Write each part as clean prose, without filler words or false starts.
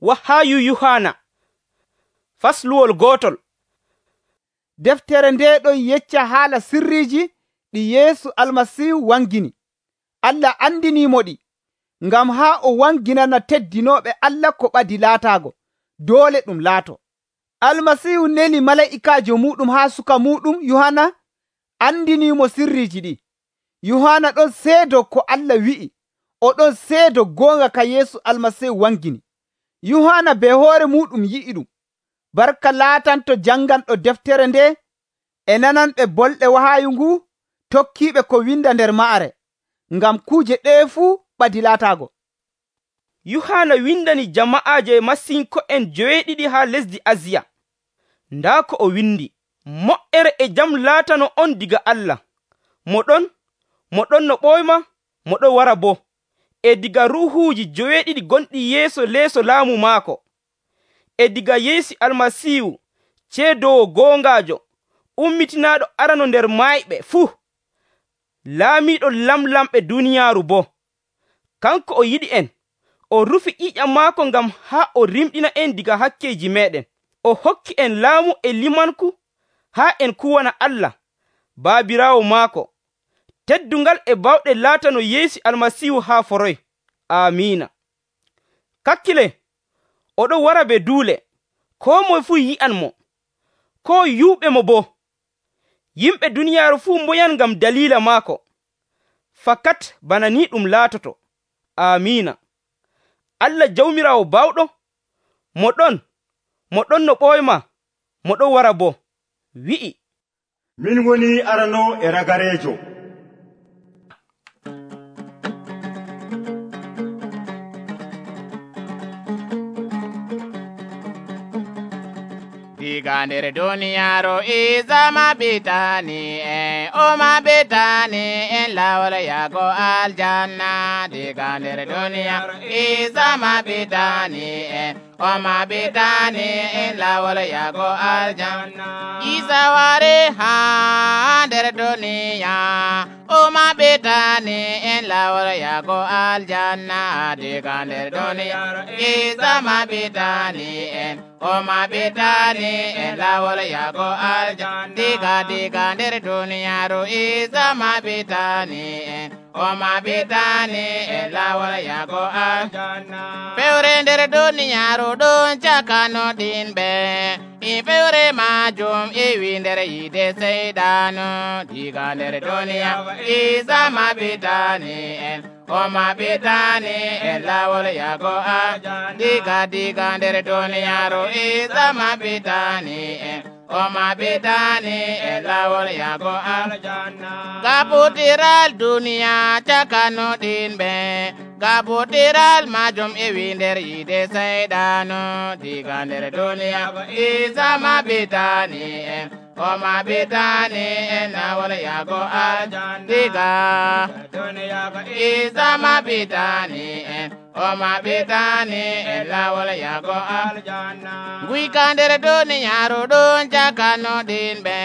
Wahaayu Yuhaana fasluwol gootol. Deftere nde ɗon yecca haala sirriiji ɗi Yeesu Almasiihu wangini. Allah andiniimo ɗi ngam haa o wanginana teddinooɓe Allah ko ɓadi laataago doole ɗum laato. Almasiihu neli malaa'ikaajo muuɗum haa suka muuɗum Yuhaana andiniimo sirriiji ɗi. Yuhaana ɗon seedo ko Allah wi'i, o ɗon seedo goonga ka Yeesu Almasiihu wangini. Yuhaana be hoore muuɗum yi'i ɗum. Barka laatanto janganɗo deftere nde e nananɓe bolɗe wahaayu ngu tokkiiɓe ko winda nder ma'are, ngam kuuje ɗee fuu ɓadi laataago. Yuhaana windani jama'aaje masinko'en 7 haa lesdi Asiya. Ndaa ko o windi: Mo'ere e jam laatano on diga Allah. Mo ɗon no ɓoyma, mo ɗon wara boo. E diga ruuhuuji 7 gonɗi yeeso leeso laamu maako. E diga Yeesu Almasiihu ceedowo goongaajo, ummitinaaɗo arano nder mayɓe fuu, laamiiɗo lamlamɓe duniyaaru boo. Kanko o yiɗi en, o rufi ƴiƴam maako ngam haa o rimɗina en diga hakkeeji meeɗen. O hokki en laamu e limanku haa en kuwana Allah, Baabiraawo maako. Teddungal e bawɗe laatano Yeesu Almasiihu haa foroy. Amiina. Kakkile, oɗon wara be duule, koo moye fuu yi'anmo, koo yuuɓe mo boo. Yimɓe duniyaaru fuu mboyan ngam daliila maako. Fakat bana ni ɗum laatoto. Amiina. Allah Jawmiraawo bawɗo, mo ɗon no ɓoyma, mo ɗon wara boo, wi'i: Min woni arano e ragareejo. Diga nder duniyaaru Isa maɓɓitani en, o maɓɓitani en lawol yago aljanna. Diga nder duniyaaru Isa maɓɓitani en, o maɓɓitani en lawol yago aljanna. Isa wari ha nder duniya, o maɓɓitani en lawol yago aljanna. Diga nder duniyaaru Isa maɓɓitani en, o maɓɓitani en lawol yago aljanna. Diga nder duniyaaru Isa maɓɓitani en, o maɓɓitani en lawol yago aljanna. Fewre nder duniyaaru ɗon cakanoɗinɓe, fewre majum iwi nder yide seydanu. Diga nder duniyaaru Isa maɓɓitani en, o maɓɓitani en lawol yago aljanna. Diga nder duniyaaru Isa maɓɓitani en, o maɓɓitani en lawol yago aljanna. Gaɓutiral duniya cakanoɗinɓe, gaɓutiral majum iwi nder yide seydanu. Diga nder duniyaaru Isa maɓɓitani en, o maɓɓitani en lawol yago aljanna. Diga duniyaaru Isa maɓɓitani en, o maɓɓitani en lawol yago aljanna. Guyka nder duniyaaru ɗon cakanoɗinɓe,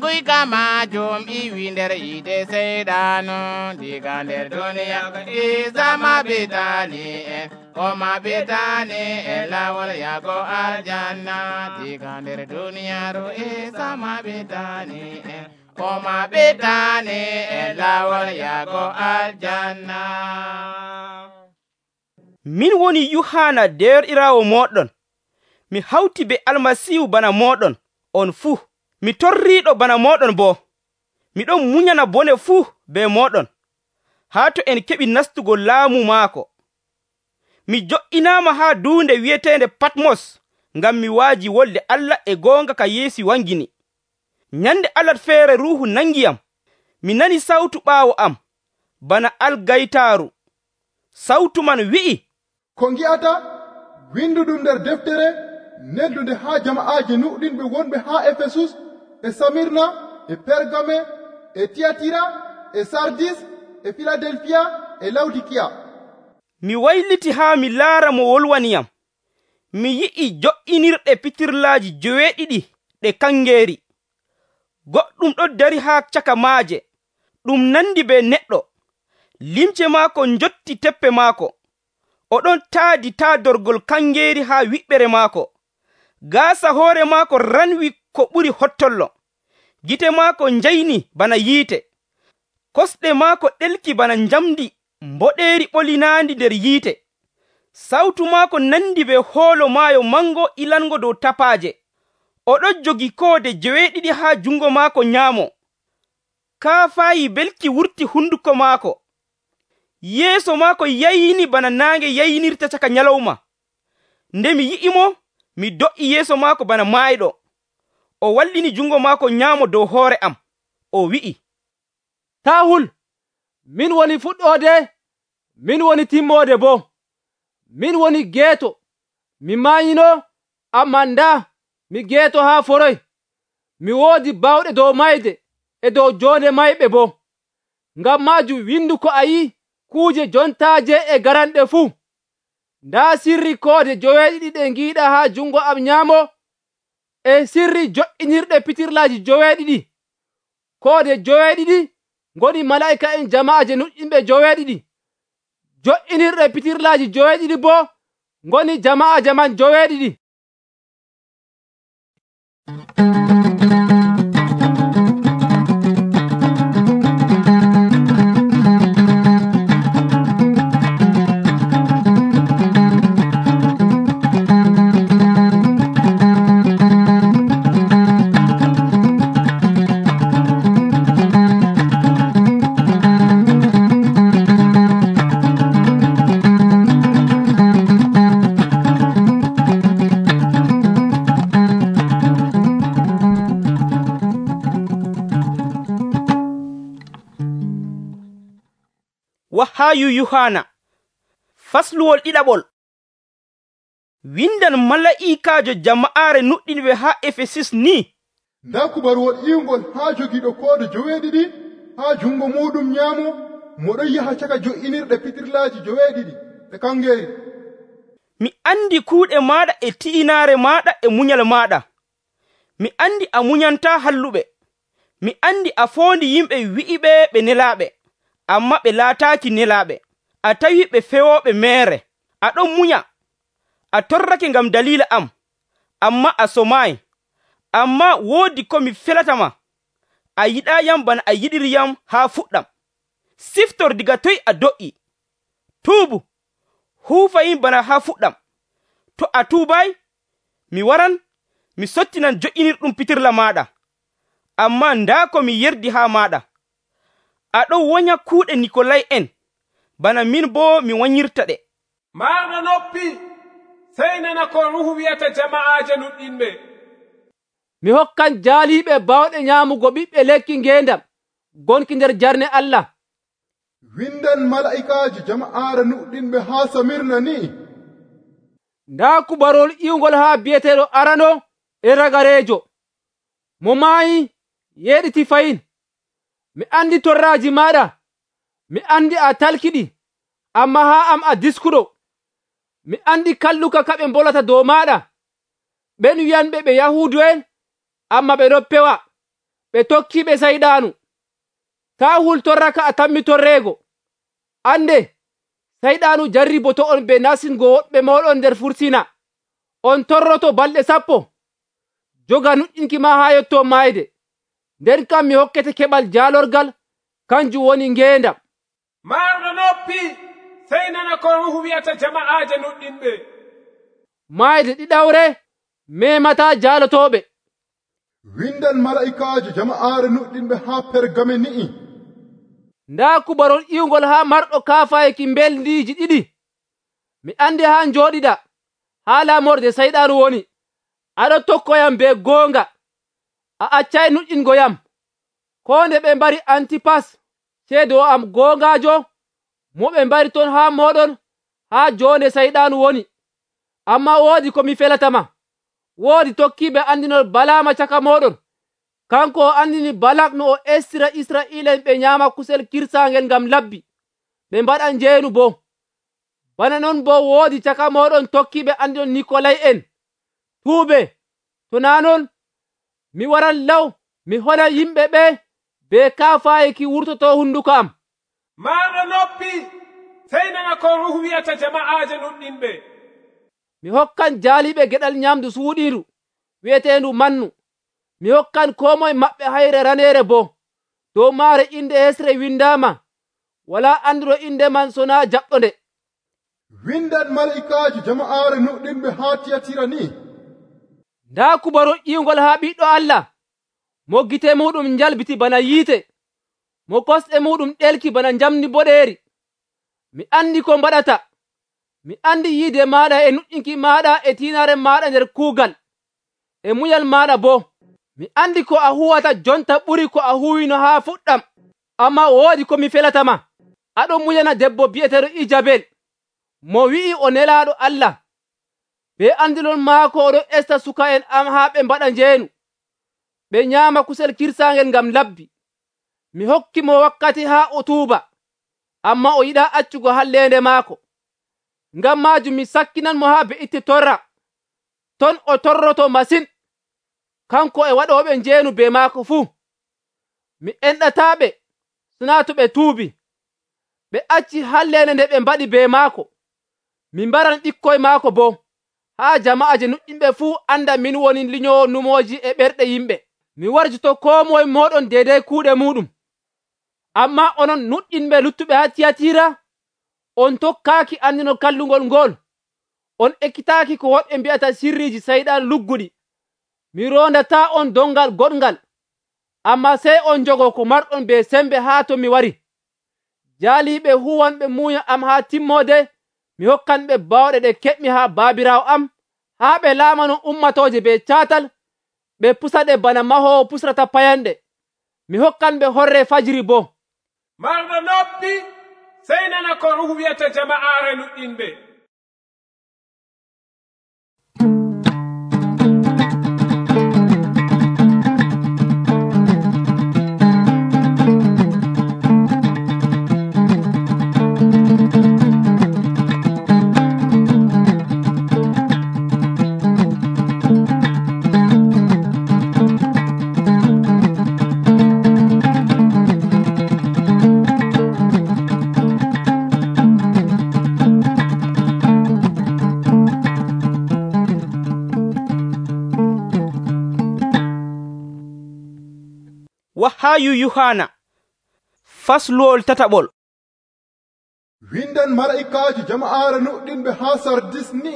guyka majum iwi nder yide seydanu. Diga nder duniyaaru Isa maɓɓitani en, o maɓɓitani en lawol yago aljanna. Diga nder duniyaaru Isa maɓɓitani en, o maɓɓitani en lawol yago aljanna. Min woni Yuhaana deerɗiraawo mooɗon. Mi hawti be Almasiihu bana mooɗon on fuu. Mi torriiɗo bana mooɗon boo. Miɗon munyana bone fuu be mooɗon, haa to en keɓi nastugo laamu maako. Mi jo'inaama haa duunde wi'eteende Patmos ngam mi waaji wolde Allah e goonga ka Yeesu wangini. Nyande Alat feere Ruuhu nangiyam. Mi nani sawtu ɓaawo am bana algaytaaru. Sawtu man wi'i: Ko ngi'ata winduɗum nder deftere neddunde haa jama'aaji nuɗɗinɓe wonɓe haa Efesus, e Samirna, e Pergame, e Tiyatira, e Sardis, e Filadelfiya, e Lawdikiya. Mi wayliti haa mi laara mo wolwaniyam. Mi yi'i jo'inirɗe pitirlaaji 7 ɗe kangeeri. Goɗɗum ɗo dari haa caka maaje, ɗum nandi be neɗɗo. Limce maako njotti teppe maako. oɗon taadi taadorgol kangeeri haa wiɓɓere maako. Gaasa hoore maako ranwi ko ɓuri hottollo. Gite maako njayni bana yiite. Kosɗe maako ɗelki bana njamdi mboɗeeri ɓolinaandi nder yiite. Sawtu maako nandi be hoolo maayo mango ilango dow tapaaje. Oɗon jogi koode 7 haa jungo maako nyaamo. Kaafaayi belki wurti hunduko maako. Yeeso maako yayni bana naange yaynirta caka nyalawma. Nde mi yi'imo, mi do'i yeeso maako bana maayɗo. O wallini jungo maako nyaamo dow hoore am. O wi'i, taa hul, min woni fuɗɗoode, min woni timmoode boo. Min woni geeto, mi maayino, ammaa ndaa mi geeto haa foroy. Mi woodi bawɗe dow mayde e dow joonde mayɓe boo. Ngam maajum windu ko a yi'i kuuje jontaaje e garanɗe fuu. Ndaa sirri koode 7 ɗe ngiiɗa haa jungo am nyaamo, e sirri jo'inirɗe pitirlaaji 7. Koode 7 ngoni malaa'ika'en jama'aaje nuɗɗinɓe 7. Jo'inirɗe pitirlaaji 7 boo ngoni jama'aaje man 7. Wahayu Yohana fasluwol 2. Windan mala'ikaajo jama'aare nuɗɗinɓe haa Efesus ni. Nda kubaruwol iwngol haa jogiiɗo koode 7 haa jungo muɗum nyaamo, moɗon yaha caka jo'inirɗe pitirlaaji 7 ɗe kangeeri. Mi andi kuuɗe maaɗa e ti'inaare maaɗa e munyal maaɗa. Mi andi a munyantaa halluɓe. Mi andi a foondi yimɓe wi'iɓe ɓe nelaaɓe, amma ɓe laataaki nelaaɓe. A tawi ɓe fewooɓe meere. Aɗon munya. A torrake ngam daliila am, amma a somaayi. Amma woodi ko mi felatama. A yiɗaayam bana a yiɗiriyam haa fuɗɗam. Siftor diga toy a do'i. Tuubu, huufayim bana haa fuɗɗam. To a tuubaay, mi waran, mi sottinan jo'inirɗum pitirla maaɗa. Amma ndaa ko mi yerdi haa maaɗa. Aɗon wonya kuuɗe Nikolay en, bana min boo mi wanyirta ɗe. Marɗo noppi, sey nana ko Ruhu wi'ata jama'aaje nuɗɗinɓe. Mi hokkan jaaliiɓe bawɗe nyaamugo ɓiɓɓe lekki ngeendam gonki nder jarne Allah. Windan mala'ikaaji jama'aare nuɗɗinɓe haa Samirna ni. Ndaa kubarol iwngol haa bi'eteeɗo arano e ragareejo, mo maayi yeɗiti fayin. Mi andi torraaji maaɗa, mi andi a talkiɗi, amma haa am a diskuɗo. Mi andi kalluka ka ɓe mbolata dow maaɗa. Ɓen wi'anɓe ɓe Yahuudu'en, amma ɓe ɗon pewa, ɓe tokkiiɓe sayɗaanu. Taa hultorraka a tammi torreego. Ande, sayɗaanu jarriboto on be nasingo woɓɓe mooɗon nder fursina. On torroto balɗe 10. Joga nuɗɗinki ma haa yotto maayde. Nden kam mi hokkete keɓal jaalorgal, kanjum woni ngeendam. Marɗo noppi, sey nana ko Ruhu wi'ata jama'aaje nuɗɗinɓe. Maayde ɗiɗawre memataa jaalotooɓe. Windan mala'ikaaji jama'aare nuɗɗinɓe haa Pergame ni'i. Ndaa kubarol iwngol haa marɗo kaafaayeki mbeldiiji 2. Mi andi haa njooɗiɗa, haa laamorde sayɗaanu woni. Aɗo tokkoyam be goonga. A accay nuɗɗingo yam. Ko nde ɓe mbari Antipas, ceedo am goongaajo, mo ɓe mbari ton haa moɗon haa joonde sayɗaanu woni. Amma woodi ko mi felatama. Woodi tokkiiɓe andinol Balaama caka moɗon. Kanko o andini Balak no o estira Israa'iilen ɓe nyaama kusel kirsaangel ngam labbi, ɓe mbaɗa njeenu boo. Bana non boo woodi caka moɗon tokkiiɓe andinol Nikolay en. Tuube, to naa non, mi waran law mi hola yimɓe ɓe be kaafaayeki wurtoto hunduko am. Marɗo noppi, sey nana ko ruhu wi'ata jama'aaje nuɗɗinɓe. Mi hokkan jaaliɓe geɗal nyamdu suuɗiiru wi'eteendu mannu. Mi hokkan koo moye maɓɓe hayre raneere boo. Dow maare inde hesre windaama, walaa andiro inde man sonaa jaɓɗonde. windan mala'ikaaji jama'aare nuɗɗinɓe haa Tiyatira ni. Ndaa kubarol ƴiwngol haa Ɓiɗɗo Allah, mo gite muɗum njalbiti bana yiite, mo kosɗe muɗum ɗelki bana njamndi boɗeeri. Mi andi ko mbaɗata. Mi andi yiide maaɗa e nuƴƴinki maaɗa e tiinaare maaɗa nder kuugal, e munyal maaɗa boo. Mi andi ko a huwata jonta ɓuri ko a huwino haa fuɗɗam, ammaa woodi ko mi felatama. Aɗon munyana debbo bi'eteeɗo Ijabel, mo wi'i o nelaaɗo Allah. Be andilol maako oɗon esta suka'en am haa ɓe mbaɗa njeenu, ɓe nyaama kusel kirsaangel ngam labbi. Mi hokki mo wakkati haa o tuuba, ammaa o yiɗaa accugo halleende maako. Ngam maajum mi sakkinan mo haa be'itte torra, ton o torroto masin, kanko e waɗooɓe njeenu be maako fuu. Mi enɗataaɓe sonaa to ɓe tuubi, ɓe acci halleende nde ɓe mbaɗi be maako. Mi mbaran ɓikkoy maako boo, haa jama'aaje nuɗɗinɓe fuu anda min woni liñowo numooji e ɓerɗe yimɓe. Mi warjoto koo moye mooɗon deydey kuuɗe muɗum. Ammaa onon nuɗɗinɓe luttuɓe haa Tiyatira, on tokkaaki andinol kallungol ngol. On ekkitaaki ko woɓɓe mbi'ata sirriiji sayɗan lugguɗi. Mi rondataa on dongal goɗngal, ammaa sey on jogo ko marɗon be sembe haa to mi wari. Jaaliiɓe huwanɓe muuya am haa timmoode, mi hokkanɓe bawɗe ɗe keɓmi haa baabiraawo am, haa ɓe laamano ummatooje be caatal, ɓe pusaɗe bana mahoowo pusrata payanɗe. Mi hokkanɓe horre fajiri boo. Marɗo noppi, sey nana ko ruhu wi'ata jama'aare nuɗɗinɓe. Wahayu Yohana fasluwol tataɓol. windan mala'ikaaji jama'aare nuɗɗinɓe haa Sardis ni.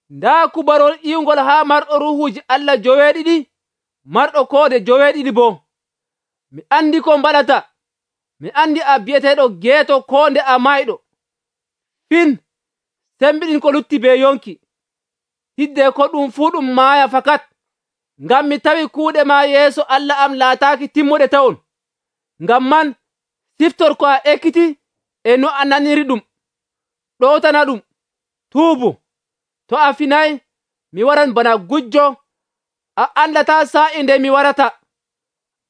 Ndaa kubarol ƴiwngol haa marɗo ruhuuji Allah joweeɗiɗi, marɗo koode joweeɗiɗi boo. Mi andi ko mbaɗata. Mi andi a bi'eteeɗo geeto koonde a mayɗo. Fin, sembiɗin ko lutti be yonki. Hidde ko ɗum fuu ɗum maaya fakat. Ngam mi tawi kuuɗe ma yeeso Allah am laataaki timmuɗe tawon. Ngam man, siftor ko a ekkiti e no a naniri ɗum. Ɗowtana ɗum, tuubu. To a finay, mi waran bana gujjo, a andataa sa'i nde mi warata.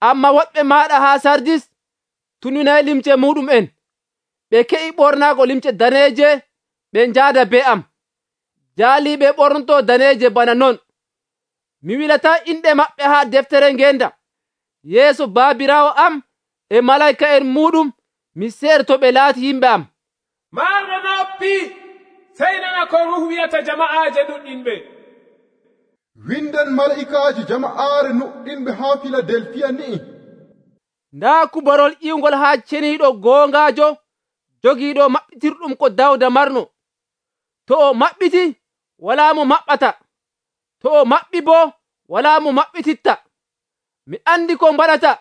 Amma woɗɓe maaɗa haa Sardis tuninay limce muɗum'en. Ɓe ke'i ɓornaago limce daneeje, ɓe njaada be am. Jaaliiɓe ɓornoto daneeje bana non. Mi wilataa inɗe maɓɓe haa deftere ngenda, yeeso baabiraawo am e malaa'ika'en muɗum, mi seeɗto ɓe laati yimɓe am. Marɗo noppi, sey nana ko ruhu wi'ata jama'aaje nuɗɗinɓe. windan mala'ikaaji jama'aare nuɗɗinɓe haa Filadelfiya ni. Ndaa kubarol ƴiwngol haa ceniiɗo goongaajo jogiiɗo maɓɓitirɗum ko Dawda marno. To o maɓɓiti, walaa mo maɓɓata. To o maɓɓi boo, walaa mo maɓɓititta. Mi andi ko mbaɗata.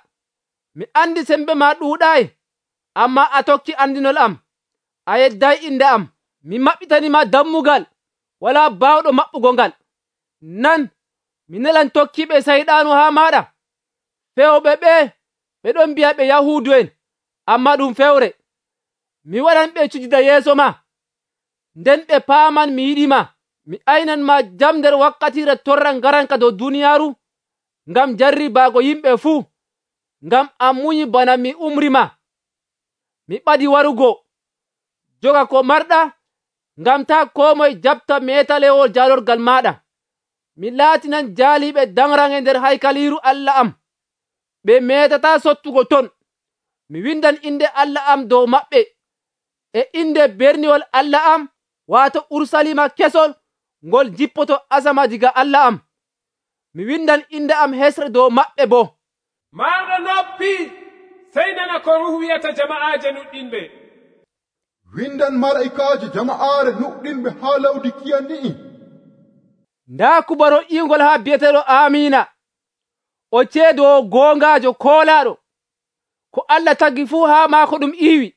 Mi andi sembe ma ɗuuɗaayi, ammaa a tokki andinol am. A yedday inde am. Mi maɓɓitanima dammugal, walaa baawɗo maɓɓugo ngal. Nan, mi nelan tokkiɓe sayɗaanu haa maaɗa. Fewɓe ɓe ɗon mbi'a ɓe Yahuudu'en, ammaa ɗum fewre. Mi waɗan ɓe cujida yeeso ma, nden ɓe paaman mi yiɗima. Mi aynan ma jam nder wakkatire torra ngaranka dow duniyaaru, ngam jarribaago yimɓe fuu, ngam a munyi bana mi umrima. Mi ɓadi warugo. Joga ko marɗa, ngam taa koo moye jaɓta meetalewol jaalorgal maaɗa. Mi laatinan jaaliiɓe danrange nder haykaliiru Allah am. Ɓe meetataa sottugo ton. Mi windan inde Allah am dow maɓɓe. e inde berniwol Allah am waato Urusalima kesol ngol jippoto asama diga Allah am. Mi windan inde am hesre dow maɓɓe boo. Marɗo noppi, sey nana ko Ruhu wi'ata jama'aaje nuɗɗinɓe. windan malaikaaje jama'aare nuɗɗinɓe haa Lawdikiya ni'i. Ndaa kubarol iwgol haa bi'eteeɗo Aamiina, o ceedowo goongaajo koolaaɗo, ko Allah tagi fuu haa maako ɗum iiwi.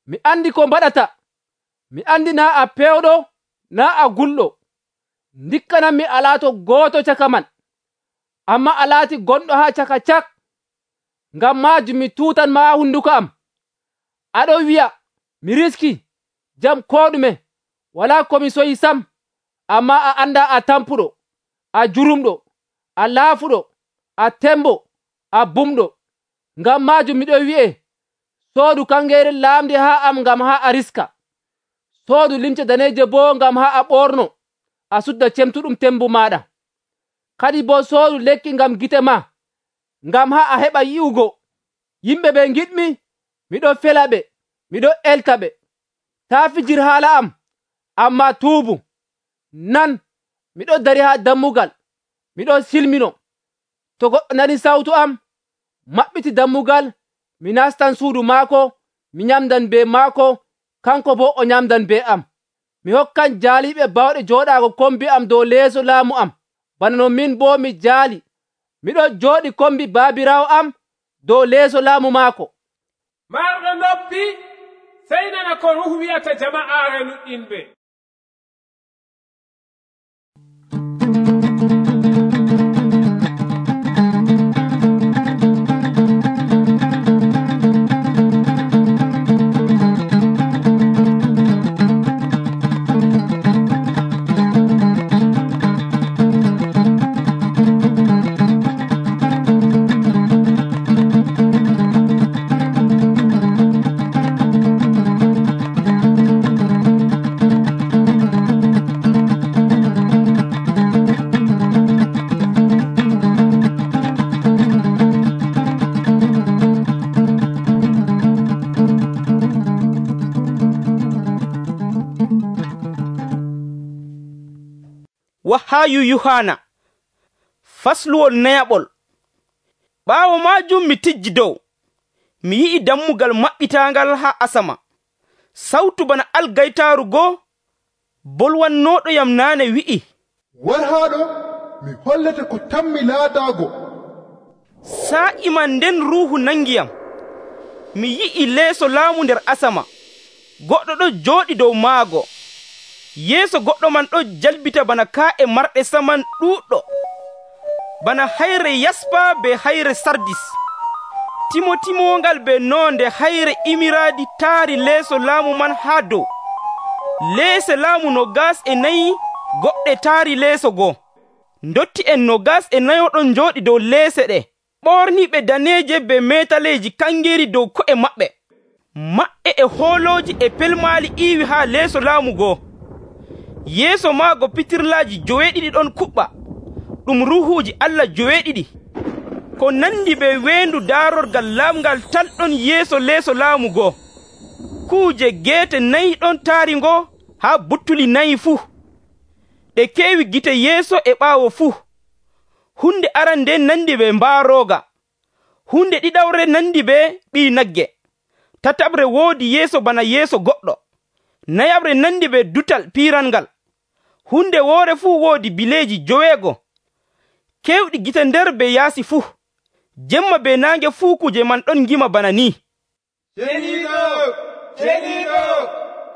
Mi andi ko mbaɗata. Mi andi naa a pewɗo, naa a gulɗo. Ndikkanammi a laato gooto caka man, amma a laati gonɗo haa caka cak. Ngam maajum mi tuutan ma hunduko am. Aɗo wi'a, mi riski, jam koo ɗume, walaa ko mi soyi sam. Amma a anda a tampuɗo, a jurumɗo, a laafuɗo, a tembo, a bumɗo. Ngam maajum miɗo wi'e, soodu kangeeri laamdi haa am ngam haa a riska. Soodu limce daneeje boo ngam haa a ɓorno, a sudda cemtuɗum tembu maɗa. Kadi boo soodu lekki ngam gite ma, ngam haa a heɓa yi'ugo. Yimɓe ɓe giɗmi, miɗo fela ɓe, miɗo elta ɓe. Taa fijir haala am, amma tuubu. Nan, miɗo dari haa dammugal, miɗo silmino. To goɗɗo nani sawtu am, maɓɓiti dammugal, mi nastan suudu maako, mi nyamdan be maako, kanko boo o nyamdan be am. Mi hokkan jaaliiɓe bawɗe jooɗaago kombi am dow leeso laamu am, bana no min boo mi jaali. Miɗo jooɗi kombi baabiraawo am dow leeso laamu maako. Marɗo noppi, sey nana ko Ruhu wi'ata jama'aare nuɗɗinɓe. Wahayu Yuhana fasluwol nayaɓol. Ɓaawo maajum mi tijji dow, mi yi'i dammugal maɓɓitaangal haa asama. Sawtu bana algaytaaru goo bolwannooɗoyam naane wi'i, war haaɗo mi hollete ko tammi laataago. Saa'i man nden Ruuhu nangiyam. Mi yi'i leeso laamu nder asama, goɗɗo ɗo jooɗi dow maago. Yeeso goɗɗo man ɗo jalbita bana kaa'e marɗe saman ɗuuɗɗo, bana hayre yaspa be hayre sardis. Timo-timongal be nonde hayre imiraadi taari leeso laamu man haa dow. Leese laamu 24 goɗɗe taari leeso goo. Ndotti en 24 ɗon jooɗi dow leese ɗe, ɓorniɓe daneeje be metaleeji kangeeri dow ko'e maɓɓe. Maɓɓe e hoolooji e pelmaali iiwi haa leeso laamu goo. Yeeso maago pitirlaaji 7 ɗon kuɓɓa, ɗum ruuhuuji Allah 7. Ko nandi be weendu daarorgal laamgal tal ɗon yeeso leeso laamu goo. Kuuje geete 4 ɗon taari ngo haa buttuli 4 fuu. Ɗe keewi gite yeeso e ɓaawo fuu. Hunde arande nandi be mbaarooga. Hunde ɗiɗawre nandi be ɓii nagge. Tataɓre woodi yeeso bana yeeso goɗɗo. Nayaɓre nandi be dutal piirangal. Hunde woore fuu woodi bileeji 9. Keewɗi gite nder be yaasi fuu. Jemma be naange fuu kuje man ɗon ngima bana ni.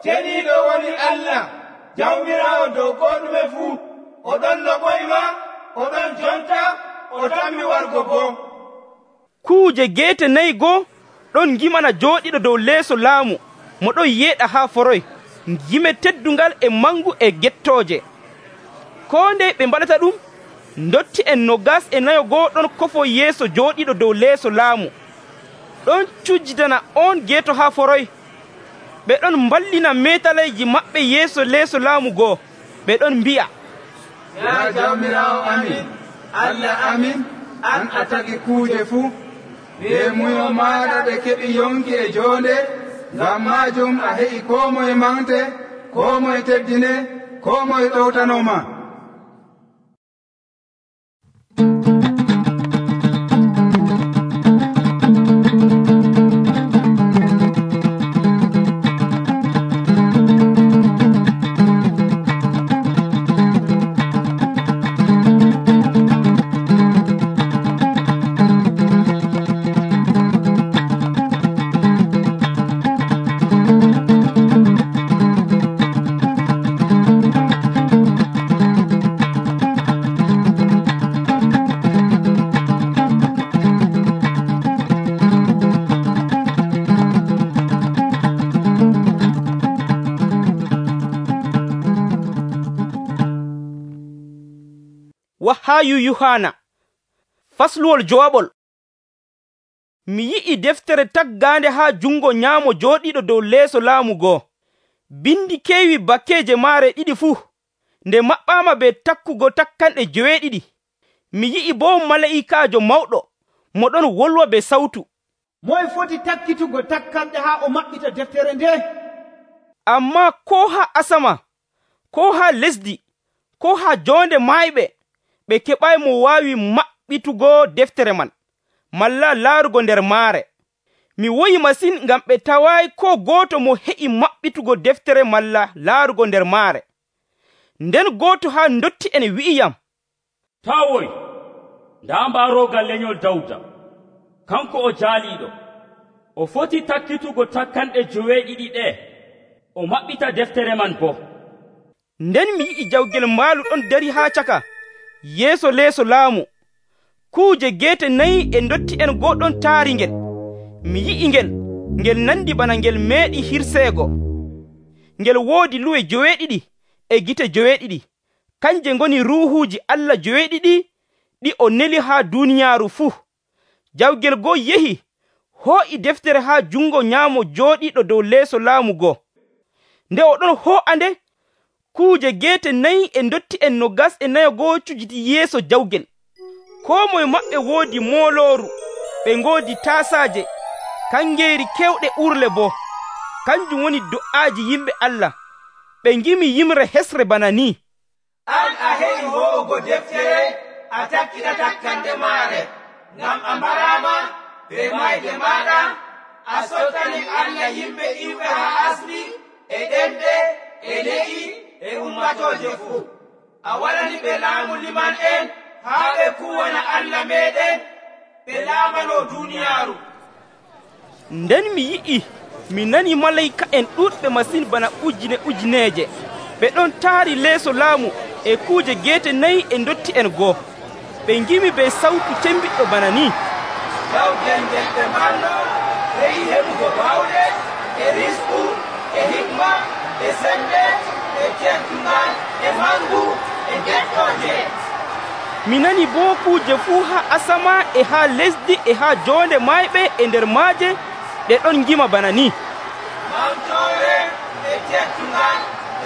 Ceniiɗo woni Allah, jawmiraawo dow koo ɗume fuu. Oɗon loɓoyma, oɗon jonta, o tammi wargo boo. Kuuje geete 4 goo ɗon ngimana jooɗiɗo dow leeso laamu mo ɗon yeeɗa haa foroy, ngime teddungal e mangu e gettooje. Koo ndey ɓe mbaɗata ɗum, ndotti en 24 ɗon kofo yeeso jooɗiɗo dow leeso laamu. Ɗon cujjitana on geeto haa foroy. Ɓe ɗon mballina metaleeji maɓɓe yeeso leeso laamu goo. Ɓe ɗon mbi'a, Ya jawmiraawo amin, Allah amin, an a tagi kuuje fuu. Be muyo maaɗa ɓe keɓi yonki e joonde, ngam maajum a heƴi koo moye mante, koo moye teddine, koo moye ɗowtanoma. Wahayu Yohana fasluwol jowaɓol. Mi yi'i deftere taggande haa jungo nyaamo jooɗiɗo dow leeso laamu goo. Bindi keewi bakkeeje maare ɗiɗi fuu, nde maɓɓaama be takkugo takkanɗe joweeɗiɗi. Mi yi'i boo malaa'ikaajo mawɗo mo ɗon wolwa be sawtu. Moye foti takkitugo takkanɗe haa o maɓɓita deftere nde? Ammaa koo haa asama, koo haa lesdi, koo haa joonde maayɓe, ɓe keɓay mo waawi maɓɓitugo deftere man, malla laarugo nder maare. Mi woyi masin ngam ɓe tawaayi koo gooto mo heƴi maɓɓitugo deftere malla laarugo nder maare. Nden gooto haa ndotti en wi'iyam, tawoy, ndaa mbaarogal lenyol Dawda, kanko o jaaliiɗo. O foti takkitugo takkanɗe joweeɗiɗi ɗe, o maɓɓita deftere man boo. Nden mi yi'i jawgel maalu ɗon dari haa caka, yeeso leeso laamu. Kuuje geete nayi e ndotti en goo ɗon taari ngel. Mi yi'i ngel nandi bana ngel meeɗi hirseego. Ngel woodi luwe joweeɗiɗi e gite joweeɗiɗi. Kanje ngoni ruuhuuji Allah joweeɗiɗi ɗi o neli haa duuniyaaru fuu. Jawgel goo yehi hoo'i deftere haa jungo nyaamo jooɗiiɗo dow leeso laamu goo. Nde o ɗon hoo'ande, kuuje geete nayi e ndotti en 24 cujiti yeeso jawgel. Koo moye maɓɓe woodi moolooru, ɓe ngoodi taasaaje, kangeeri kewɗe urle boo. Kanjum woni do'aaji yimɓe Allah. Ɓe ngimi yimre hesre bana ni: An a heƴi ho'ugo deftere, a takkita takkanɗe maare, ngam a mbaraama be mayde maaɗa, a sottani Allah yimɓe iwɓe haa asli, e ɗemɗe, e le'i, e ummatooje fuu. A waɗani ɓe laamu liman en haa ɓe kuwana Allah meɗen, ɓe laamano duuniyaaru. Nden mi yi'i, mi nani malayika en ɗuuɗɓe masin bana ujineeje. Ɓe ɗon taari leeso laamu e kuuje geete nayi e ndotti en goo. Ɓe ngimi be sawtu tembiɗɗo bana ni: Jawgel ngel ɓe mballo, heƴi heɓugo bawɗe, e risku, e hikma, e sembe, e teddugal, e mangu, e geɗɗooje. Mi nani boo kuuje fuu haa asama e haa lesdi e haa joonde maayɓe e nder maaje ɗe ɗon ngima bana ni: Mamtoore, e teddugal,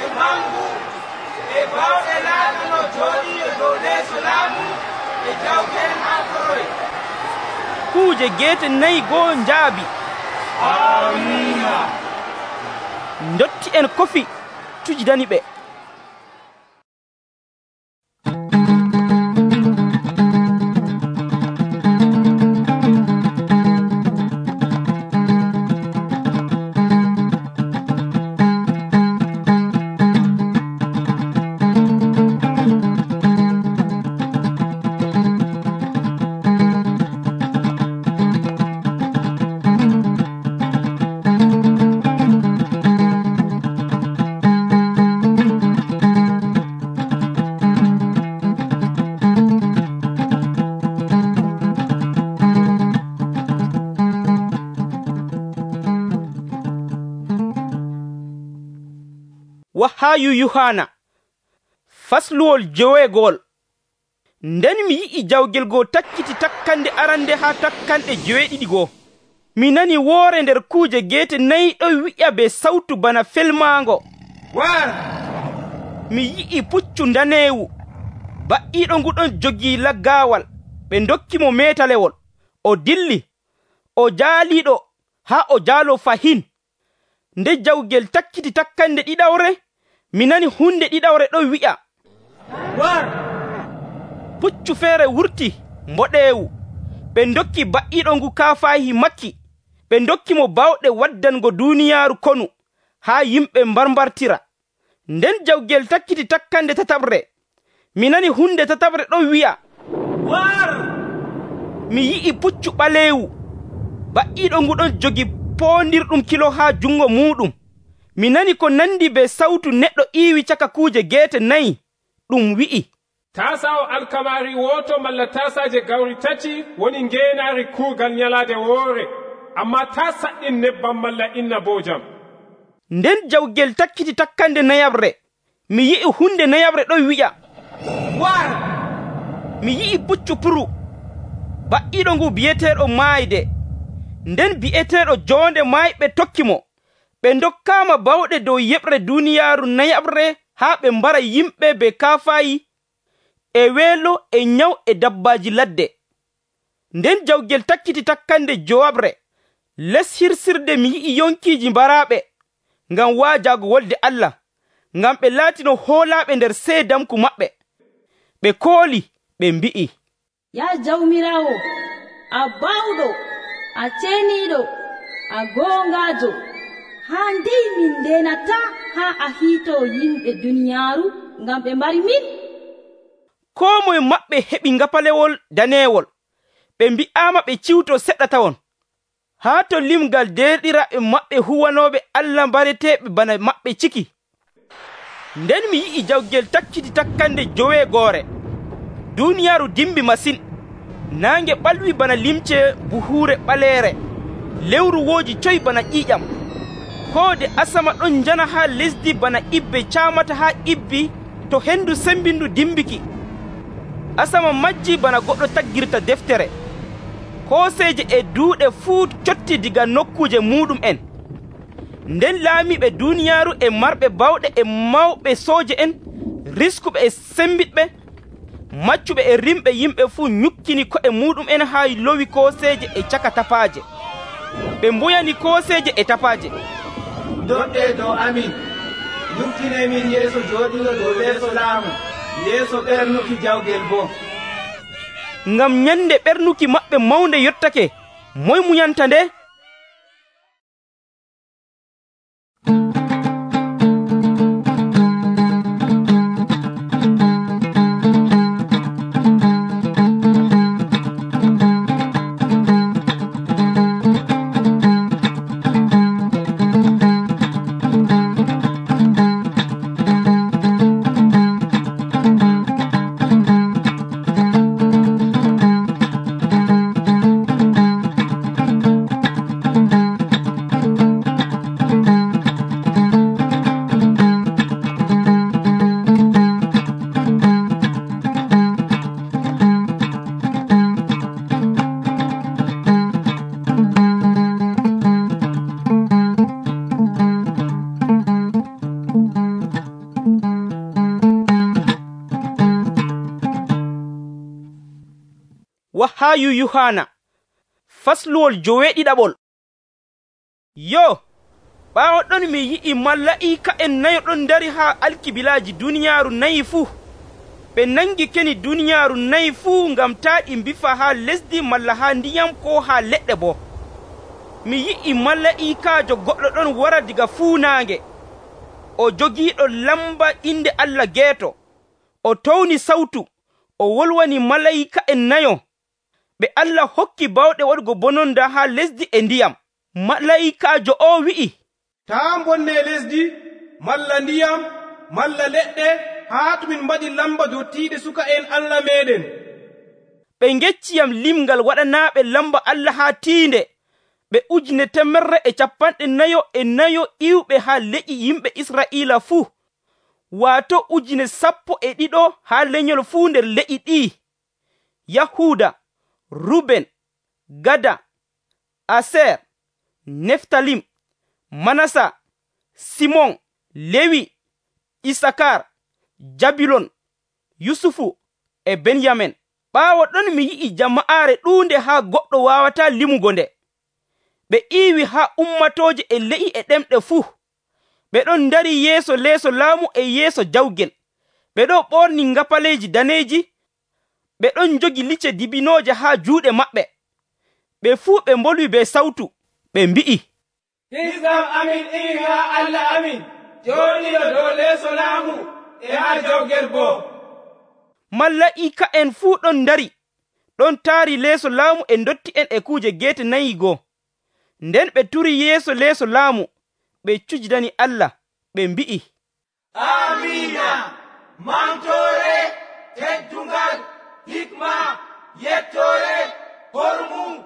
e mangu, e bawɗe laaɗa no jooɗii dow leeso laamu, e jawgel haa toroy. Kuuje geete nayi goo njaabi. Amiina. Ndotti en kofi tujidani ɓe. Wahayu Yohana fasluwol joweegol. Nden mi yi'i jawgel goo takkiti takkande arande haa takkanɗe joweeɗiɗi goo. Mi nani woore nder kuuje geete nayi ɗon wi'a be sawtu bana felmaango: War! Mi yi'i puccu daneewu ba'iiɗo nguɗon jogii laggaawal. Ɓe ndokki mo meetalewol. O dilli, o jaaliiɗo haa o jaalo fahin. Nde jawgel takkiti takkande ɗiɗawre, mi nani hunde ɗiɗawre ɗon wi'a, war. puccu feere wurti mboɗeewu. Ɓe ndokki ba'iiɗo ngu kaafaahi makki. Ɓe ndokki mo bawɗe waddango duuniyaaru konu haa yimɓe mbarmbartira. Nden jawgel takkiti takkande tataɓre, mi nani hunde tataɓre ɗon wi'a, war. mi yi'i puccu ɓaleewu. Ba'iiɗo ngu ɗon jogi poondirɗum kilo haa jungo muuɗum. Mi nani ko nandi be sawtu neɗɗo iiwi caka kuuje geete nayi. Ɗum wi'i, tasawo alkamari woto malla tasaje gawri tati woni ngeenaari kuugal nyalaade woore, amma ta saɗɗin nebbam malla innabojam. Nden jawgel takkiti takkande nayabre, mi yi'i hunde nayabre ɗon wi'a, war. mi yi'i puccu puru. Ba'iiɗo ngu bi'eteeɗo maayde. Nden bi'eteeɗo joonde maayɓe tokki mo. Ɓe ndokkaama bawɗe dow yeɓre duuniyaaru nayabre haa ɓe mbara yimɓe be kaafaayi e weelo e nyaw e dabbaaji ladde. Nden jawgel takkiti takkande jowabre. Les hirsirde mi yi'i yonkiiji mbaraaɓe ngam waajaago wolde Allah, ngam ɓe laatino hoolaaɓe nder seedamku maɓɓe. Ɓe kooli ɓe mbi'i, ya jawmiraawo, a bawɗo, a ceeniiɗo, a goongaajo, haa ndey min ndenata haa a hiitoo yimɓe duniyaaru ngam ɓe mbari min. Koo moye maɓɓe heɓi ngapalewol daneewol. Ɓe mbi'aama ɓe ciwto seɗɗa tawon. Haa to limgal derɗiraaɓe maɓɓe huwanooɓe Allah mbareteeɓe bana maɓɓe ciki. Nden mi yi'i jawgel takkiti takkande joweegoore. Duuniyaaru dimbi masin. Naange ɓalwi bana limce buhuure ɓaleere. Lewru wooji coy bana ƴiiƴam. Hoode asama ɗon njana haa lesdi bana ibbe caamata haa ibbi to hendu sembindu dimbiki. Asama majji bana goɗɗo taggirta deftere. Kooseeje e duuɗe fuu cotti diga nokkuje muɗum en. Nden laamiɓe duuniyaaru e marɓe bawɗe e mawɓe sooje en, riskuɓe e sembiɗɓe, maccuɓe e rimɓe yimɓe fuu nyukkini ko'e muɗum en haa lowi kooseeje e caka tapaaje. Ɓe mbuyani kooseeje e tapaaje. doɗɗe dow amin, nuftine min yeeso jooɗiɗo dow leeso laamu, yeeso ɓernuki jawgel boo. Ngam nyande ɓernuki maɓɓe mawnde yottake, moy munyanta nde? Wahayu Yohana fasluwol joweeɗiɗaɓol. Yo, ɓaawo ɗon mi yi'i malaa'ika en nayo ɗon dari haa alkibilaaji duniyaaru nayi fuu. Ɓe nangi keni duniyaaru nayi fuu ngam taa ɗi mbifa haa lesdi malla haa ndiyam ko haa leɗɗe boo. Mi yi'i malaa'ikaajo goɗɗo ɗon wara diga fuunaange. O jogiiɗo lamba inde Allah geeto. O towni sawtu. O wolwani malaa'ika en nayo. Ɓe Allah hokki bawɗe waɗugo bononda haa lesdi e ndiyam. Malaa'ikaajo o wi'i, taa bonne lesdi malla ndiyam malla leɗɗe haa to min mbaɗi lamba dottiiɗe suka en Allah meɗen. Ɓe ngecciyam limgal waɗanaaɓe lamba Allah haa tiinde. Ɓe 144 iwɓe haa leƴƴi yimɓe Israa'iila fuu. Waato 12,000 haa lenyol fuu nder leƴƴi ɗi. Yahuuda, Ruben, Gada, Aser, Neftalim, Manasa, Simon, Lewi, Isakar, Jabilon, Yusufu e Benyamin. Ɓaawo ɗon mi yi'i jama'aare ɗuunde haa goɗɗo waawataa limugo nde. ɓe iiwi haa ummatooje e le'i e ɗemɗe fuu. Ɓe ɗon ndari yeeso leeso laamu e yeeso jawgel. Ɓe ɗon ɓorni ngapaleeji daneeji. Ɓe ɗon jogi licce dibinooje haa juuɗe maɓɓe. Ɓe fuu ɓe mbolwi be sawtu, ɓe mbi'i, Hisnam amin iwi haa Allah amin, jooɗiiɗo dow leeso laamu e haa jawgel boo. Malaa'ika'en fuu ɗon ndari, ɗon taari leeso laamu e ndotti'en e kuuje geete nayi goo. Nden ɓe turi yeeso leeso laamu, ɓe cujdani Allah, ɓe mbi'i, Amiina, mantoore, teddungal, hikma, yettoore, hormu,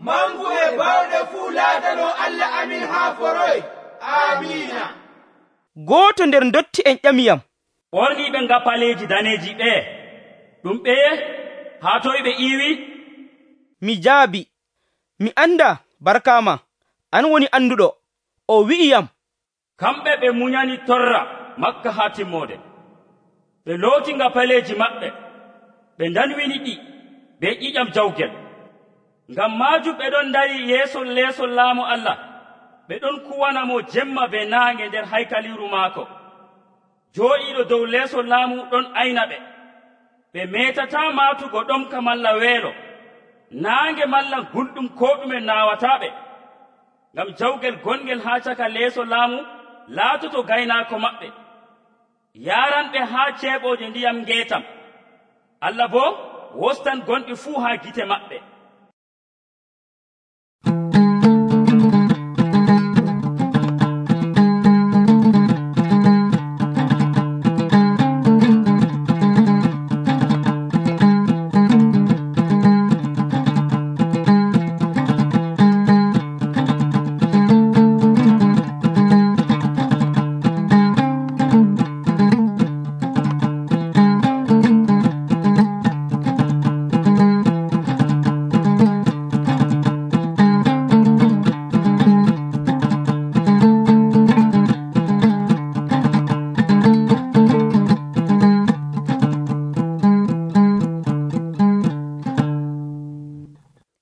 mangu e bawɗe fuu laatano Allah amin haa foroy. Amiina. Gooto nder ndotti'en ƴamiyam, ɓorniiɓe ngapaleeji daneeji ɓee, ɗum ɓeye haa toye ɓe iiwi? Mi jaabi, mi anda, barkaama, an woni anduɗo. O wi'iyam, kamɓe ɓe munyani torra Makka haa timmoode. Ɓe looti ngapaleeji maɓɓe, ɓe ndanwini ɗi be ƴiƴam jawgel. Ngam maajum ɓe ɗon ndari yeeso leeso laamu Allah, ɓe ɗon kuwana mo jemma be naange nder haykaliru maako. Jooɗiiɗo dow leeso laamu ɗon ayna ɓe. Ɓe meetataa maatugo ɗomka malla weelo, naange malla gulɗum ko ɗume naawataaɓe. Ngam jawgel gongel haa caka leeso laamu laatoto gaynaako maɓɓe, yaaranɓe haa ceeɓooje ndiyam ngeetam. Allah boo wostan gonɗi fuu haa gite maɓɓe.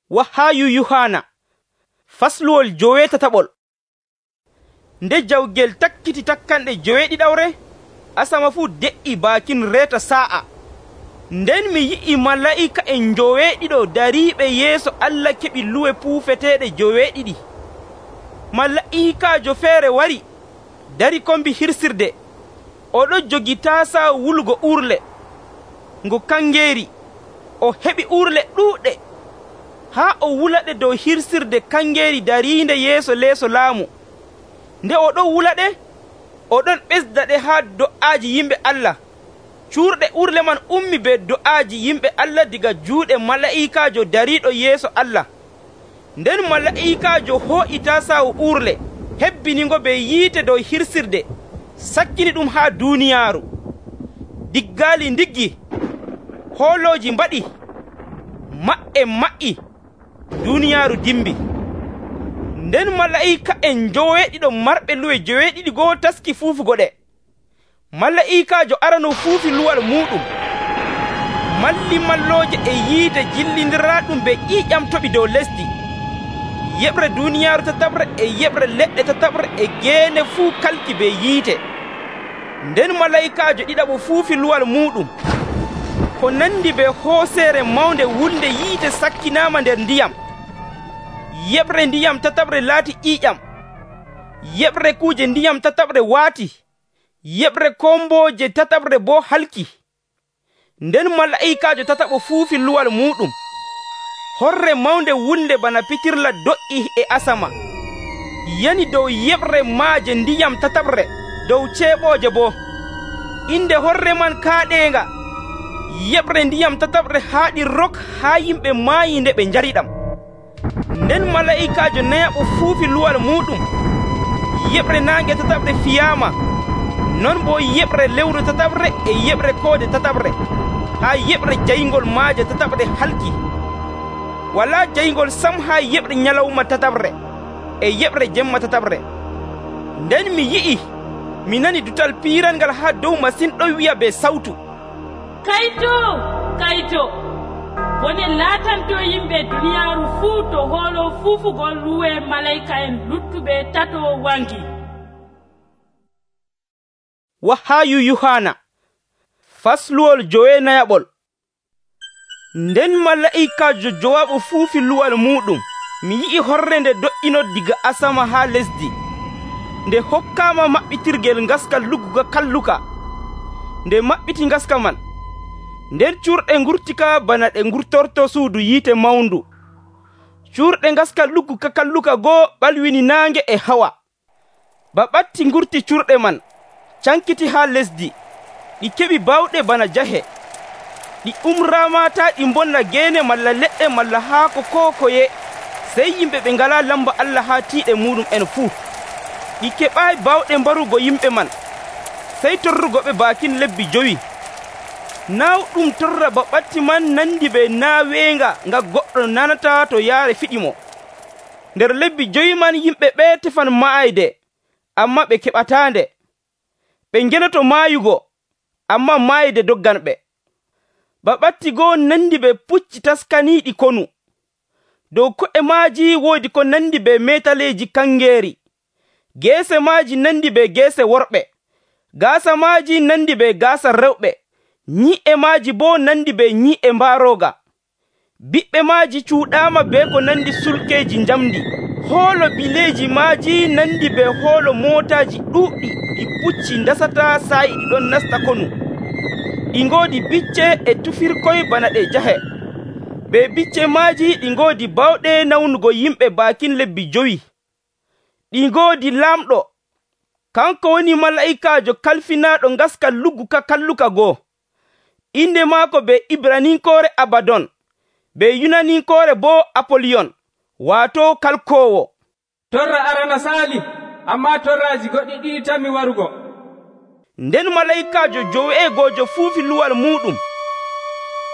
Wahaayu Yuhana fasluwol 17. Nde jawgel takkiti takkanɗe 7 asama fuu de'i baakin reeta sa'a. Nden mi yi'i malaa'ika'en 7 dariiɓe yeeso Allah keɓi luwe puufeteeɗe 7. Malaa'ikaajo feere wari dari kombi hirsirde. Oɗo jogi taasaa wulugo urle ngo kangeeri. O heɓi urle ɗuuɗɗe haa o wulaɗe dow hirsirde kangeeri dariinde yeeso leeso laamu. Nde oɗon wulaɗe, oɗon ɓesdaɗe haa do'aaji yimɓe Allah. Cuurɗe urle man ummi be do'aaji yimɓe Allah diga juuɗe malaa'ikaajo dariiɗo yeeso Allah. Nden malaa'ikaajo hoo'i taasaawo urle, hebbinigo be yiite dow hirsirde, sakkini ɗum haa duuniyaaru. Diggaali ndiggi, hoolooji mbaɗi, maɓɓe ma'i, duuniyaaru dimbi. Nden malaa'ika'en 7 marɓe luwe 7 goo taski fuufugo ɗe. Malaa'ikaajo arano fuufi luwal muɗum. Malli mallooje e yiite jillindiraaɗum be ƴiiƴam toɓi dow lesdi. Yeɓre duuniyaaru tataɓre e yeɓre leɗɗe tataɓre e geene fuu kalki be yiite. Nden malaa'ikaajo ɗiɗaɓo fuufi luwal muɗum. Ko nandi be hooseere mawnde wulnde yiite sakkinaama nder ndiyam. Yeɓre ndiyam tataɓre laati ƴiiƴam. Yeɓre kuuje ndiyam tataɓre waati. Yeɓre kombooje tataɓre boo halki. Nden malaa'ikaajo tataɓo fuufi luwal muɗum. Horre mawnde wulnde bana pitirla do'i e asama, yani dow yeɓre maaje ndiyam tataɓre, dow ceeɓooje boo. Inde horre man kaaɗeenga. Yeɓre ndiyam tataɓre haaɗi rok haa yimɓe maayi nde ɓe njariɗam. Nden malaa'ikaajo nayaɓo fuufi luwal muɗum. Yeɓre naange tataɓre fiyaama, non boo yeɓre lewru tataɓre e yeɓre koode tataɓre, haa yeɓre jayngol maaje tataɓre halki. Walaa jayngol sam haa yeɓre nyalawma tataɓre e yeɓre jemma tataɓre. Nden mi yi'i, mi nani dutal piirangal haa dow masin ɗon wi'a be sawtu, Kayto, kayto, bone laatanto yimɓe duniyaaru fuu to hoolo fuufugol luwe malayika en luttuɓe tato wangi. Wahayu Yohana fasluwol jowenayaɓol. Nden mala'ikajo jowaɓo fuufi luwal muɗum, mi yi'i horre nde do'ino diga asama haa lesdi, nde hokkaama maɓɓitirgel ngaska lugguka kalluka. Nde maɓɓiti ngaska man, nden curɗe ngurtika bana ɗe ngurtorto suudu yiite mawndu. Curɗe ngaska lugguka kalluka goo ɓalwini naange e hawa. Ba ɓatti ngurti curɗe man cankiti haa lesdi, ɗi keɓi bawɗe bana jahe. Ɗi umraamata ɗi bonna geene malla leɗɗe malla haako koo koye, sey yimɓe ɓe ngalaa lamba Allah haa tiiɗe muɗum en fuu. Ɗi keɓaayi bawɗe mbarugo yimɓe man, sey torrugoɓe baakin lebbi 5. Naawɗum torra ba ɓatti man nandi be naaweenga nga goɗɗo nanata to yaare fiɗimo. Nder lebbi 5 man yimɓe ɓe tefan maayde, amma ɓe keɓataande. Ɓe ngenoto maayugo, amma maayde doggan ɓe. Ba ɓatti goo nandi be pucci taskaniiɗi konu. Dow ko'e maaji woodi ko nandi be metaleeji kangeeri. Geese maaji nandi be geese worɓe. Gaasa maaji nandi be gaasa rewɓe. Nyi'e maaji boo nandi be nyi'e mbaarooga. Biɓɓe maaji cuuɗaama be ko nandi sulkeeji njamndi. Hoolo bileeji maaji nandi be hoolo mootaaji ɗuuɗɗi ɗi pucci ndasata saa'i ɗiɗon nasta konu. Ɗi ngoodi bicce e tufirkoy bana ɗe jahe. Be bicce maaji ɗi ngoodi bawɗe nawnugo yimɓe baakin lebbi 5. Ɗi ngoodi laamɗo, kanko woni mala'ikaajo kalfinaaɗo ngaska lugguka kalluka goo. Inde maako be Ibraninkoore Abadon, be Yunaninkoore boo Apoliyon, waato kalkoowo. Torra arana saali, ammaa torraaji goɗɗi ɗiɗi tammi warugo. Nden mala'ikaajo joweegojo fuufi luwal muɗum.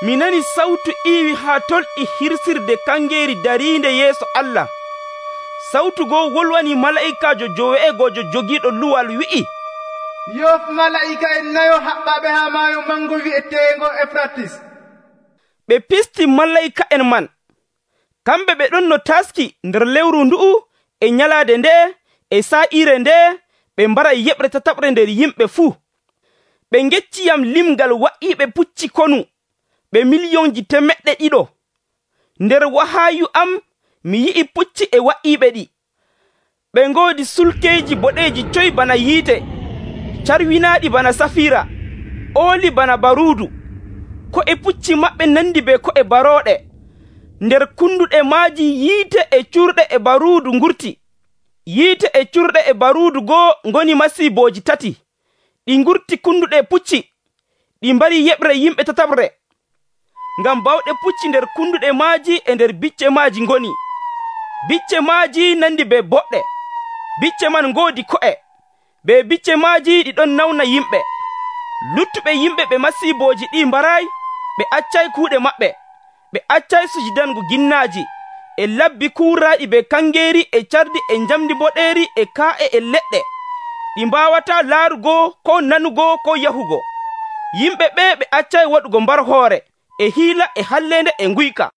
Mi nani sawtu iiwi haa tolɗi hirsirde kangeeri dariinde yeeso Allah. Sawtu goo wolwani mala'ikaajo joweegojo jogiiɗo luwal wi'i, yof mala'ika en nayo haɓɓaɓe haa maayo mango wi'eteengo Efratis. Ɓe pisti mala'ika en man. Kamɓe ɓe ɗon no taski nder lewru ndu'u e nyalaade nde e saa'ire nde, ɓe mbaray yeɓre tataɓre nder yimɓe fuu. Ɓe ngecciyam limgal wa'iiɓe pucci konu, ɓe miliyonji 200. Nder wahayu am mi yi'i pucci e wa'iiɓe ɗi. Ɓe ngoodi sulkeeji boɗeeji coy bana yiite, carwinaaɗi bana safira, ooli bana baruudu. Ko'e pucci maɓɓe nandi be ko'e barooɗe. Nder kunduɗe maaji yiite e curɗe e baruudu ngurti. Yiite e curɗe e baruudu goo ngoni masiibooji 3. Ɗi ngurti kunduɗe pucci, ɗi mbari yeɓre yimɓe tataɓre. Ngam bawɗe pucci nder kunduɗe maaji e nder bicce maaji ngoni. Bicce maaji nandi be boɗɗe. Bicce man ngoodi ko'e. Be bicce maaji ɗiɗon nawna yimɓe. Luttuɓe yimɓe ɓe masiibooji ɗi mbaraay, ɓe accay kuuɗe maɓɓe. Ɓe accay sujudango ginnaaji, e labbi kuuraaɗi be kangeeri e cardi e njamdi boɗeeri e kaa'e e leɗɗe. Ɗi mbaawataa laarugo ko nanugo ko yahugo. Yimɓe ɓe ɓe accay waɗugo mbar hoore, e hiila e halleende e nguyka.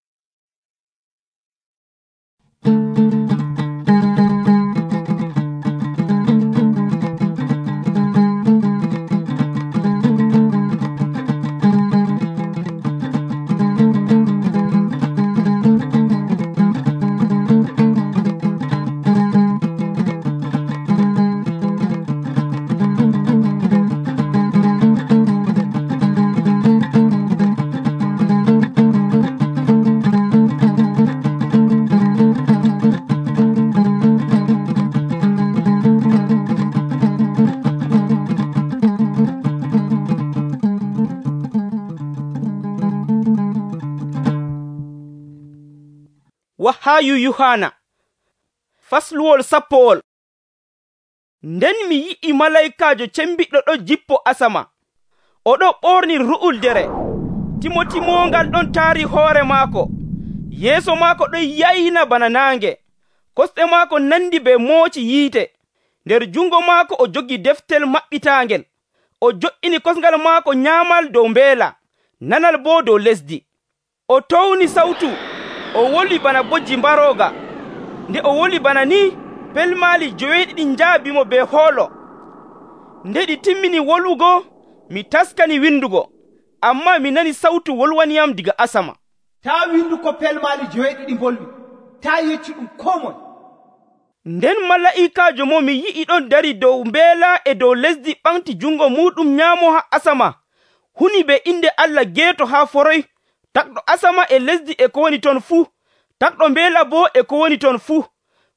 Wahayu Yohana fasluwol 10. Nden mi yi'i malayikaajo cembiɗɗo ɗo jippo asama. Oɗo ɓorni ru'uldere. Timoti mongal ɗon taari hoore maako. Yeeso maako ɗon yayna bana naange. Kosɗe maako nandi be mooci yiite. Nder jungo maako o jogi deftel maɓɓitaangel. O jo'ini kosngal maako nyaamal dow mbeela, nanal boo dow lesdi. O towni sawtu, o wolwi bana bojji mbarooga. Nde o woli bana ni, pelmaali 7 njaabimo be hoolo. Nde ɗi timmini wolwugo, mi taskani windugo, ammaa mi nani sawtu wolwaniyam diga asama. taa windu ko pelmaali 7 mbolwi, taa yeccu ɗum koo moye. Nden mala'ikaajo mo mi yi'i ɗon dari dow mbeela e dow lesdi ɓamti jungo muɗum nyaamo haa asama, huni be inde Allah geeto haa foroy, takɗo asama e lesdi e ko woni ton fuu, takɗo mbeela boo e ko woni ton fuu.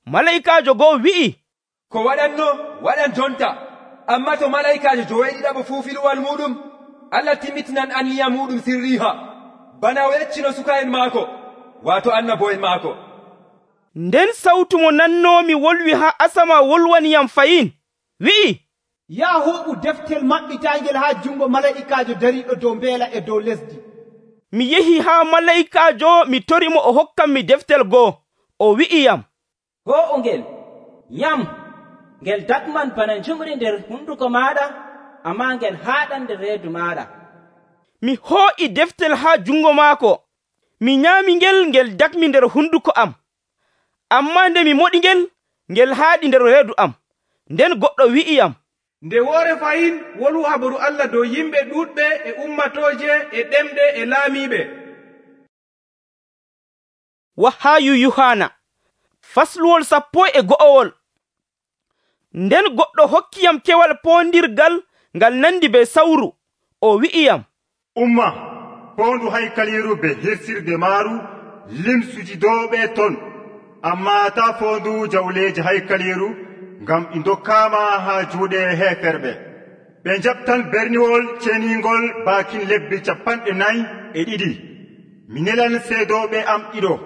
Mala'ikaajo go'o wi'i, ko waɗanno waɗan jonta, ammaa to mala'ikaajo 7 fuu filuwal muɗum, Allah timmitinan anniya muɗum sirriha, bana o yeccino suka'en maako, waato annabo'en maako. Nden sawtu mo nannoomi wolwi haa asama wolwaniyam fayin, wi'i, yaa hooɓu deftel maɓɓitaangel haa jungo mala'ikaajo dariiɗo dow mbeela e dow lesdi. Mi yehi haa mala'ikaajo mi tori mo o hokkan mi deftel goo. O wi'iyam, go'o ngel, nyam, ngel dakman bana njumri nder hunduko maaɗa, ammaa ngel haaɗan nder reedu maaɗa. Mi hoo'i deftel haa jungo maako. Mi nyaami ngel, ngel dakmi nder hunduko am. Ammaa nde mi moɗi ngel, ngel haaɗi nder reedu am. Nden goɗɗo wi'iyam, nde woore fayin wolu habaru Allah dow yimɓe ɗuuɗɓe e ummatooje e ɗemɗe e laamiiɓe. Wahaayu Yuhana fasluwol 14. Nden goɗɗo hokkiyam kewal poondirgal ngal nandi be sawru. O wi'iyam, umma poondu haykaliiru be hirsirde maaru limsuji dooɓe ton, ammaa taa foondu jawleeji haykaliiru, ngam ɗi ndokkaama haa juuɗe heeferɓe. Ɓe njaɓtan berniwol ceniingol baakin lebbi 42. Mi nelan seedooɓe am ɗiɗo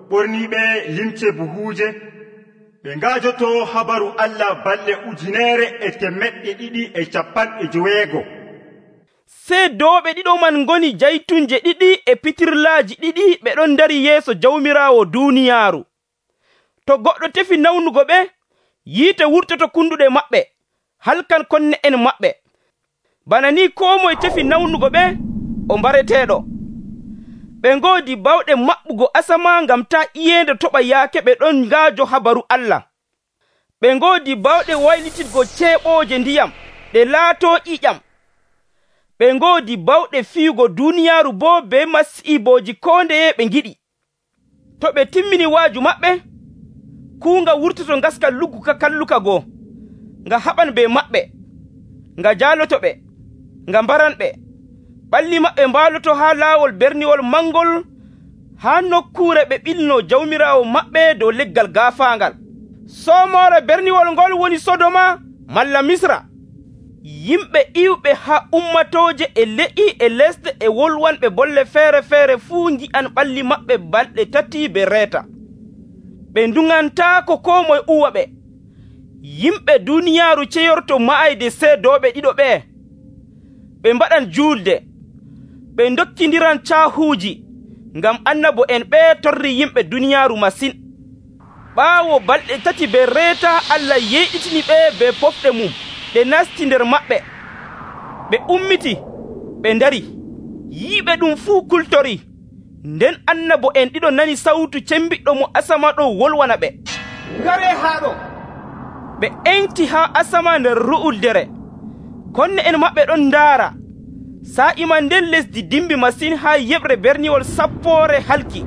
ɓorniiɓe limce buhuuje. Ɓe ngaajoto habaru Allah balɗe 1,250. Seedooɓe ɗiɗo man ngoni jaytunje 2 e pitirlaaji 2 ɓe ɗon dari yeeso jawmiraawo duuniyaaru. To goɗɗo tefi nawnugo ɓe, yiite wurtoto kunduɗe maɓɓe, halkan konne en maɓɓe. Bana ni koo moye tefi nawnugo ɓe, o mbareteeɗo. Ɓe ngoodi bawɗe maɓɓugo asama ngam taa iyeende toɓa yaake ɓe ɗon ngaajo habaru Allah. Ɓe ngoodi bawɗe waylitirgo ceeɓooje ndiyam ɗe laatoo ƴiƴam. Ɓe ngoodi bawɗe fiyugo duuniyaaru boo be masiibooji koo ndeye ɓe ngiɗi. To ɓe timmini waaju maɓɓe, kuunga wurtoto ngaska lugguka kalluka goo, nga haɓan be maɓɓe, nga jaaloto ɓe, nga mbaran ɓe. Ɓalli maɓɓe mbaaloto haa laawol berniwol mangol, haa nokkuure ɓe ɓilno jawmiraawo maɓɓe dow leggal gaafaangal. Soomoore berniwol ngol woni Sodoma malla Misra. Yimɓe iwɓe haa ummatooje e le'i e lesɗe e wolwanɓe bolle feere fuu ngi'an ɓalli maɓɓe balɗe 3 be reeta. Ɓe ndungantaako koo moye uwa ɓe. Yimɓe duuniyaaru ceyorto ma'ayde seedooɓe ɗiɗo ɓee. Ɓe mbaɗan juulde, ɓe ndokkindiran caahuuji, ngam annabo en ɓee torri yimɓe duuniyaaru masin. Ɓaawo balɗe 3 be reeta, Allah yeyɗitini ɓe be pofɗe mum, ɗe nasti nder maɓɓe. Ɓe ummiti, ɓe ndari, yiiɓe ɗum fuu kultori. Nden annabo en ɗiɗo nani sawtu cembiɗɗo mo asama ɗo wolwana ɓe, ngare haa ɗo. ɓe enti haa asama nder ru'uldere. Konne en maɓɓe ɗon ndaara. Sa'ima nden lesdi dimbi masin haa yeɓre berniwol sappoore halki.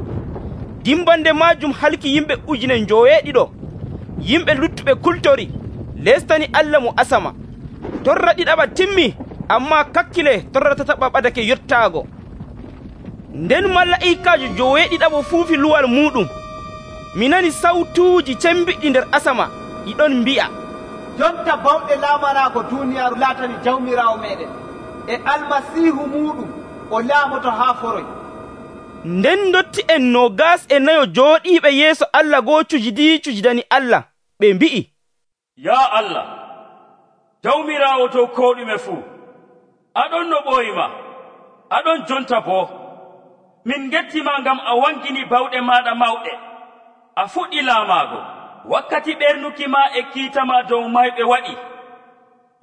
Dimbande maajum halki yimɓe 9,000. Yimɓe luttuɓe kultori, lestani Allah mo asama. Torra ɗiɗaɓa timmi, ammaa kakkile torra tataɓa ɓadake yottaago. Nden mala'ikaajo 7 fuufi luwal muɗum. Mi nani sawtuuji cembiɗɗi nder asama, ɗiɗon mbi'a, jonta bawɗe laamanaago duuniyaaru laatani jawmiraawo meɗen, e almasiihu muɗum o laamoto haa foroy. Nden dotti en 24 jooɗiiɓe yeeso Allah goo cujidani Allah, ɓe mbi'i, Ya Allah, jawmiraawo dow koo ɗume fuu, aɗon no ɓooyima, aɗon jonta boo. Min gettima ngam a wangini bawɗe maɗa mawɗe. A fuɗɗi laamaago, wakkati ɓernuki ma e kiita ma dow mayɓe waɗi.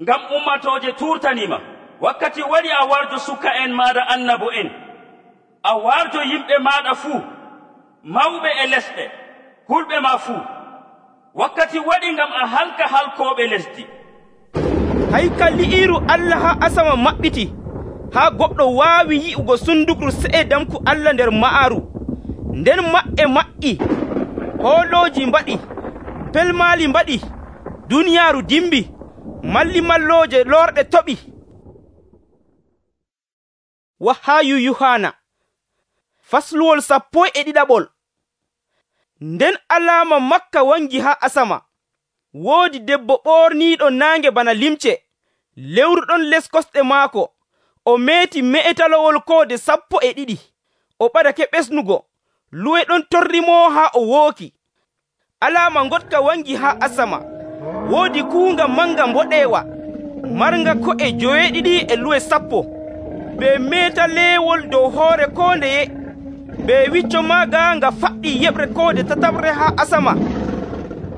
Ngam ummatooje turtanima, wakkati waɗi a warjo suka en maɗa annabo en. a warjo yimɓe maɗa fuu, mawɓe e lesɗe, hulɓe ma fuu. Wakkati waɗi ngam a halka halkooɓe lesdi. Haykaliiru Allah haa asama maɓɓiti, haa goɗɗo waawi yi'ugo sundukru se'e damku Allah nder ma'aaru. Nden maɓɓe maƴƴi, hoolooji mbaɗi, pelmaali mbaɗi, duniyaaru dimbi, mallimallooje lorɗe toɓi. Wahaayu Yuhana fasluwol 12. Nden alaama Makka wangi haa asama. Woodi debbo ɓorniiɗo naange bana limce, lewru ɗon les kosɗe maako. O meeti me'etalowol koode 12. O ɓadake ɓesnugo, luwe ɗon torrimo haa o wooki. Alaama ngotka wangi haa asama. Woodi kuunga manga mboɗeewa, marnga ko'e 7 e luwe 10. Be meeta leewol dow hoore koo ndeye. Be wicco maaga nga faɗɗi yeɓre koode 7 haa asama.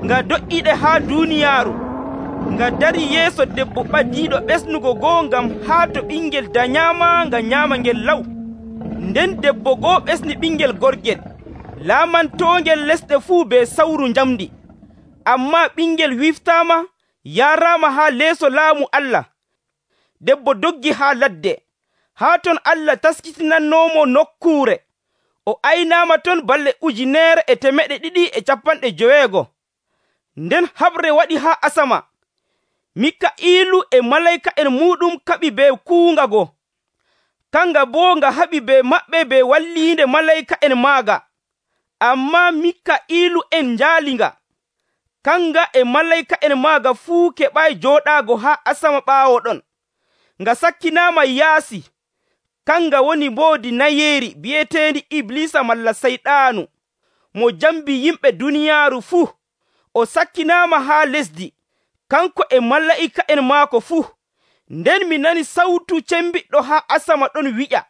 Nga do'iɗe haa duuniyaaru. Nga dari yeeso debbo ɓadiiɗo ɓesnugo goo ngam haa to ɓingel dañaama nga nyaama ngel law. Nden debbo goo ɓesni ɓingel gorgel, laamantoongel lesɗe fuu be sawru njamdi. Ammaa ɓingel wiftaama, yaaraama haa leeso laamu Allah. Debbo doggi haa ladde, haa ton Allah taskitinannoomo nokkuure. O aynaama ton balɗe 1,250. Nden haɓre waɗi haa asama. Mika'iilu e malayka'en muuɗum kaɓi be kuunga go. Kanga boo nga haɓi be maɓɓe be walliinde malayka'en maaga. Ammaa Mika'iilu en njaali nga. Kanga e malayka'en maaga fuu keɓay jooɗaago haa asama ɓaawo ɗon. Nga sakkinaama yaasi. Kanga woni mboodi nayeeri bi'eteendi Iblisa malla Sayɗaanu, mo jambi yimɓe duniyaaru fuu. O sakkinaama haa lesdi, kanko e mala'ika'en maako fuu. Nden mi nani sawtu cembiɗɗo haa asama ɗon wi'a,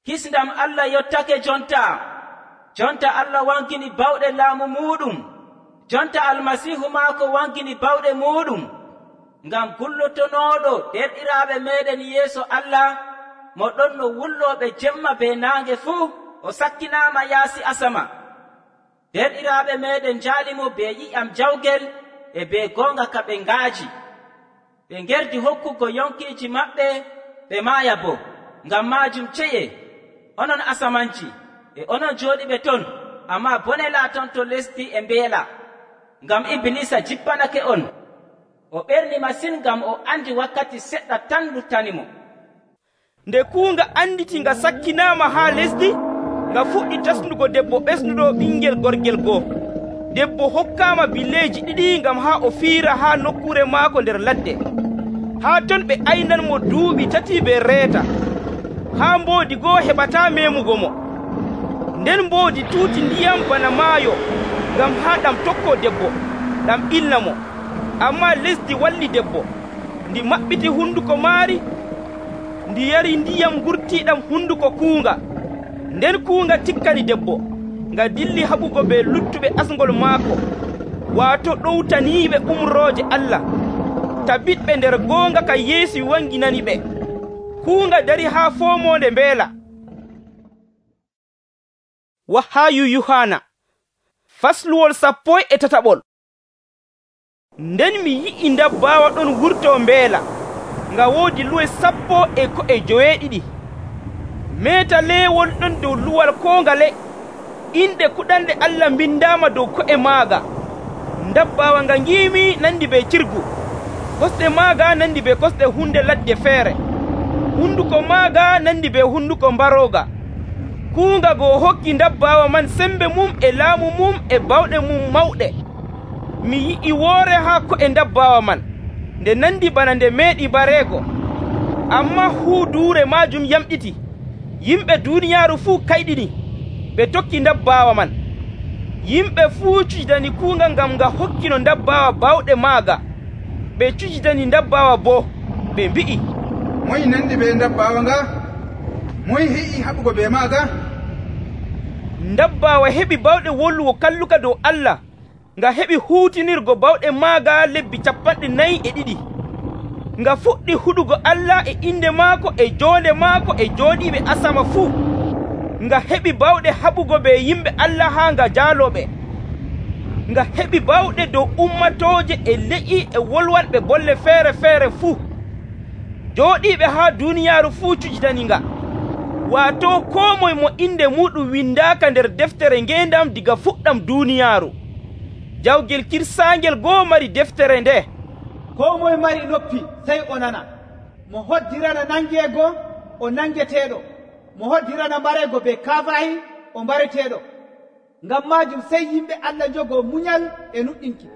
Hisndam Allah yottake jonta. Jonta Allah wankini bawɗe laamu muɗum. Jonta Almasiihu maako wankini bawɗe muɗum. Ngam gullotonooɗo derɗiraaɓe meeɗen yeeso Allah, mo ɗon no wullooɓe jemma be naange fuu, o sakkinaama yaasi asama. Derɗiraaɓe meeɗen njaalimo be yi'am jawgel e be goonga ka ɓe ngaaji. Ɓe ngerdi hokkugo yonkiiji maɓɓe, ɓe maaya bo. Ngam maajum ceye, onon asamanci, e onon jooɗiɓe ton, ammaa bone laaton to lesdi e mbeela. Ngam Iblisa jippanake on. O ɓerni masin ngam o andi wakkati seɗɗa tan luttanimo. Nde kuunga anditi nga sakkinaama haa lesdi, nga fuɗɗi tasnugo debbo ɓesnuɗo ɓingel gorgel goo. Debbo hokkaama billeeji 2 ngam haa o fiira haa nokkuure maako nder ladde. Haa ton ɓe aynanmo duuɓi 3 be reeta. Haa mboodi goo heɓataa meemugo mo. Nden mboodi tuuti ndiyam bana maayo, ngam haa ɗam tokkoo debbo, ɗam ilna mo. Ammaa lesdi walli debbo, ndi maɓɓiti hunduko maari, ndi yari ndiyam ngurtiiɗam hunduko kuunga. Nden kuunga tikkani debbo, nga dilli haɓugo be luttuɓe asngol maako, waato ɗowtaniiɓe umrooje Allah. Tabiɗɓe nder goonga ka Yeesu wanginani ɓe. Kuunga dari haa foomoonde mbeela. Wahaayu Yuhana fasluwol 13. Nden mi yi'i ndabbawa ɗon wurto mbeela, nga woodi luwe 12. Meeta leewol ɗon dow luwal koongale, inde kuɗanɗe Allah mbindaama dow ko'e maaga. Ndabbawa nga ngiimi nandi be cirgu, kosɗe maaga nandi be kosɗe hunde ladde feere, hunduko maaga nandi be hunduko mbarooga. Kuunga goo hokki ndabbawa man sembe mum e laamu mum e bawɗe mum mawɗe. Mi yi'i woore haa ko'e ndabbawa man, nde nandi bana nde meeɗi bareego, ammaa huuduure maajum yamɗiti. Yimɓe duuniyaaru fuu kayɗini, ɓe tokki ndabbawa man. Yimɓe fuu cujidani kuunga ngam nga hokkino ndabbawa bawɗe maaga. Ɓe cujidani ndabbawa boo, ɓe mbi'i, moy nandi be ndabbawa nga? Moy heƴi haɓugo be maaga? Ndabbawa heɓi bawɗe wollugo kalluka dow Allah, nga heɓi huutinirgo bawɗe maaga lebbi 42. Nga fuɗɗi huɗugo Allah e inde maako e joonde maako e jooɗiiɓe asama fuu. nga heɓi bawɗe haɓugo be yimɓe Allah haa nga jaaloɓe. Nga heɓi bawɗe dow ummatooje e le'i e wolwanɓe bolle feere fuu. Jooɗiiɓe haa duuniyaaru fuu cujitani nga. Waato koo moye mo inde muɗum windaaka nder deftere ngeendam diga fuɗɗam duuniyaaru. Jawgel kirsaangel go'o mari deftere nde. Koo moye mari noppi sey o nana. Mo hoddirana nangeego o nangeteeɗo. Mo hoddirana mbareego be kaafahi o mbareteeɗo. Ngam maajum sey yimɓe Allah njogoo muñal e nuɗɗinki.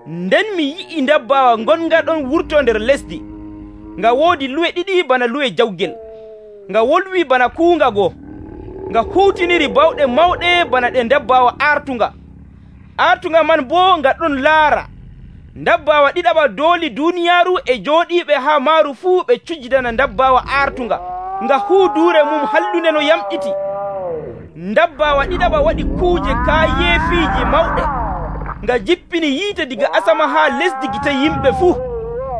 Nden mi yi'i ndabbawa ngonga ɗon wurto nder lesdi. Nga woodi luwe ɗiɗi bana luwe jawgel. Nga wolwi bana kuunga goo. Nga huutiniri bawɗe mawɗe bana ɗe ndabbawa aartunga. Aartunga man boo nga ɗon laara. Ndabbawa ɗiɗaɓa dooli duuniyaaru e jooɗiiɓe haa maaru fuu ɓe cujjidana ndabbawa aartunga. Nga huuduure mum hallunde no yamɗiti. Ndabbawa ɗiɗaɓa waɗi kuuje kaayeefiiji mawɗe. Nga jippini yiite diga asama haa lesdi gite yimɓe fuu.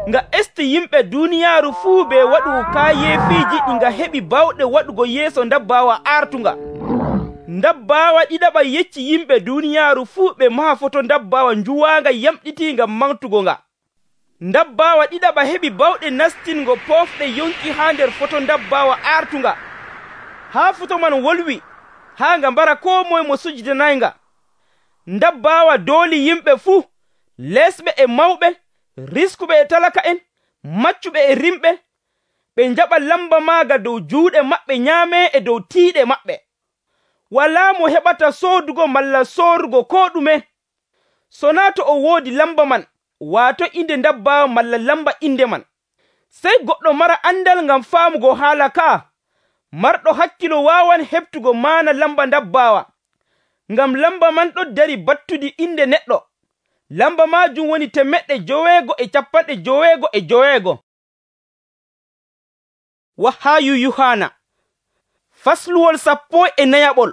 Nga esti yimɓe duuniyaaru fuu be waɗugo kaayeefiiji ɗi nga heɓi bawɗe waɗugo yeeso ndabbawa aartunga. Ndabbawa ɗiɗaɓa yecci yimɓe duuniyaaru fuu ɓe maha foto ndabbawa njuwaanga yamɗitiinga mantugo nga. Ndabbawa ɗiɗaɓa heɓi bawɗe nastingo poofɗe yonki haa nder foto ndabbawa aartunga. Haa foto man wolwi haa nga mbara koo moye mo sujidanayinga. Ndabbawa dooli yimɓe fuu, lesɓe e mawɓe, riskuɓe e talaka'en, maccuɓe e rimɓe, ɓe njaɓa lamba maaga dow juuɗe maɓɓe nyaame e dow tiiɗe maɓɓe. Walaa mo heɓata soodugo malla soorugo koo ɗume, so naa to o woodi lamba man, waato inde ndabbawa malla lamba inde man. Sey goɗɗo mara andal ngam faamugo haala kaa, marɗo hakkilo waawan heɓtugo maana lamba ndabbawa, ngam lamba man ɗon dari battudi inde neɗɗo. Lamba maajum woni 999. Wahayu Yuhana fasluwol 14.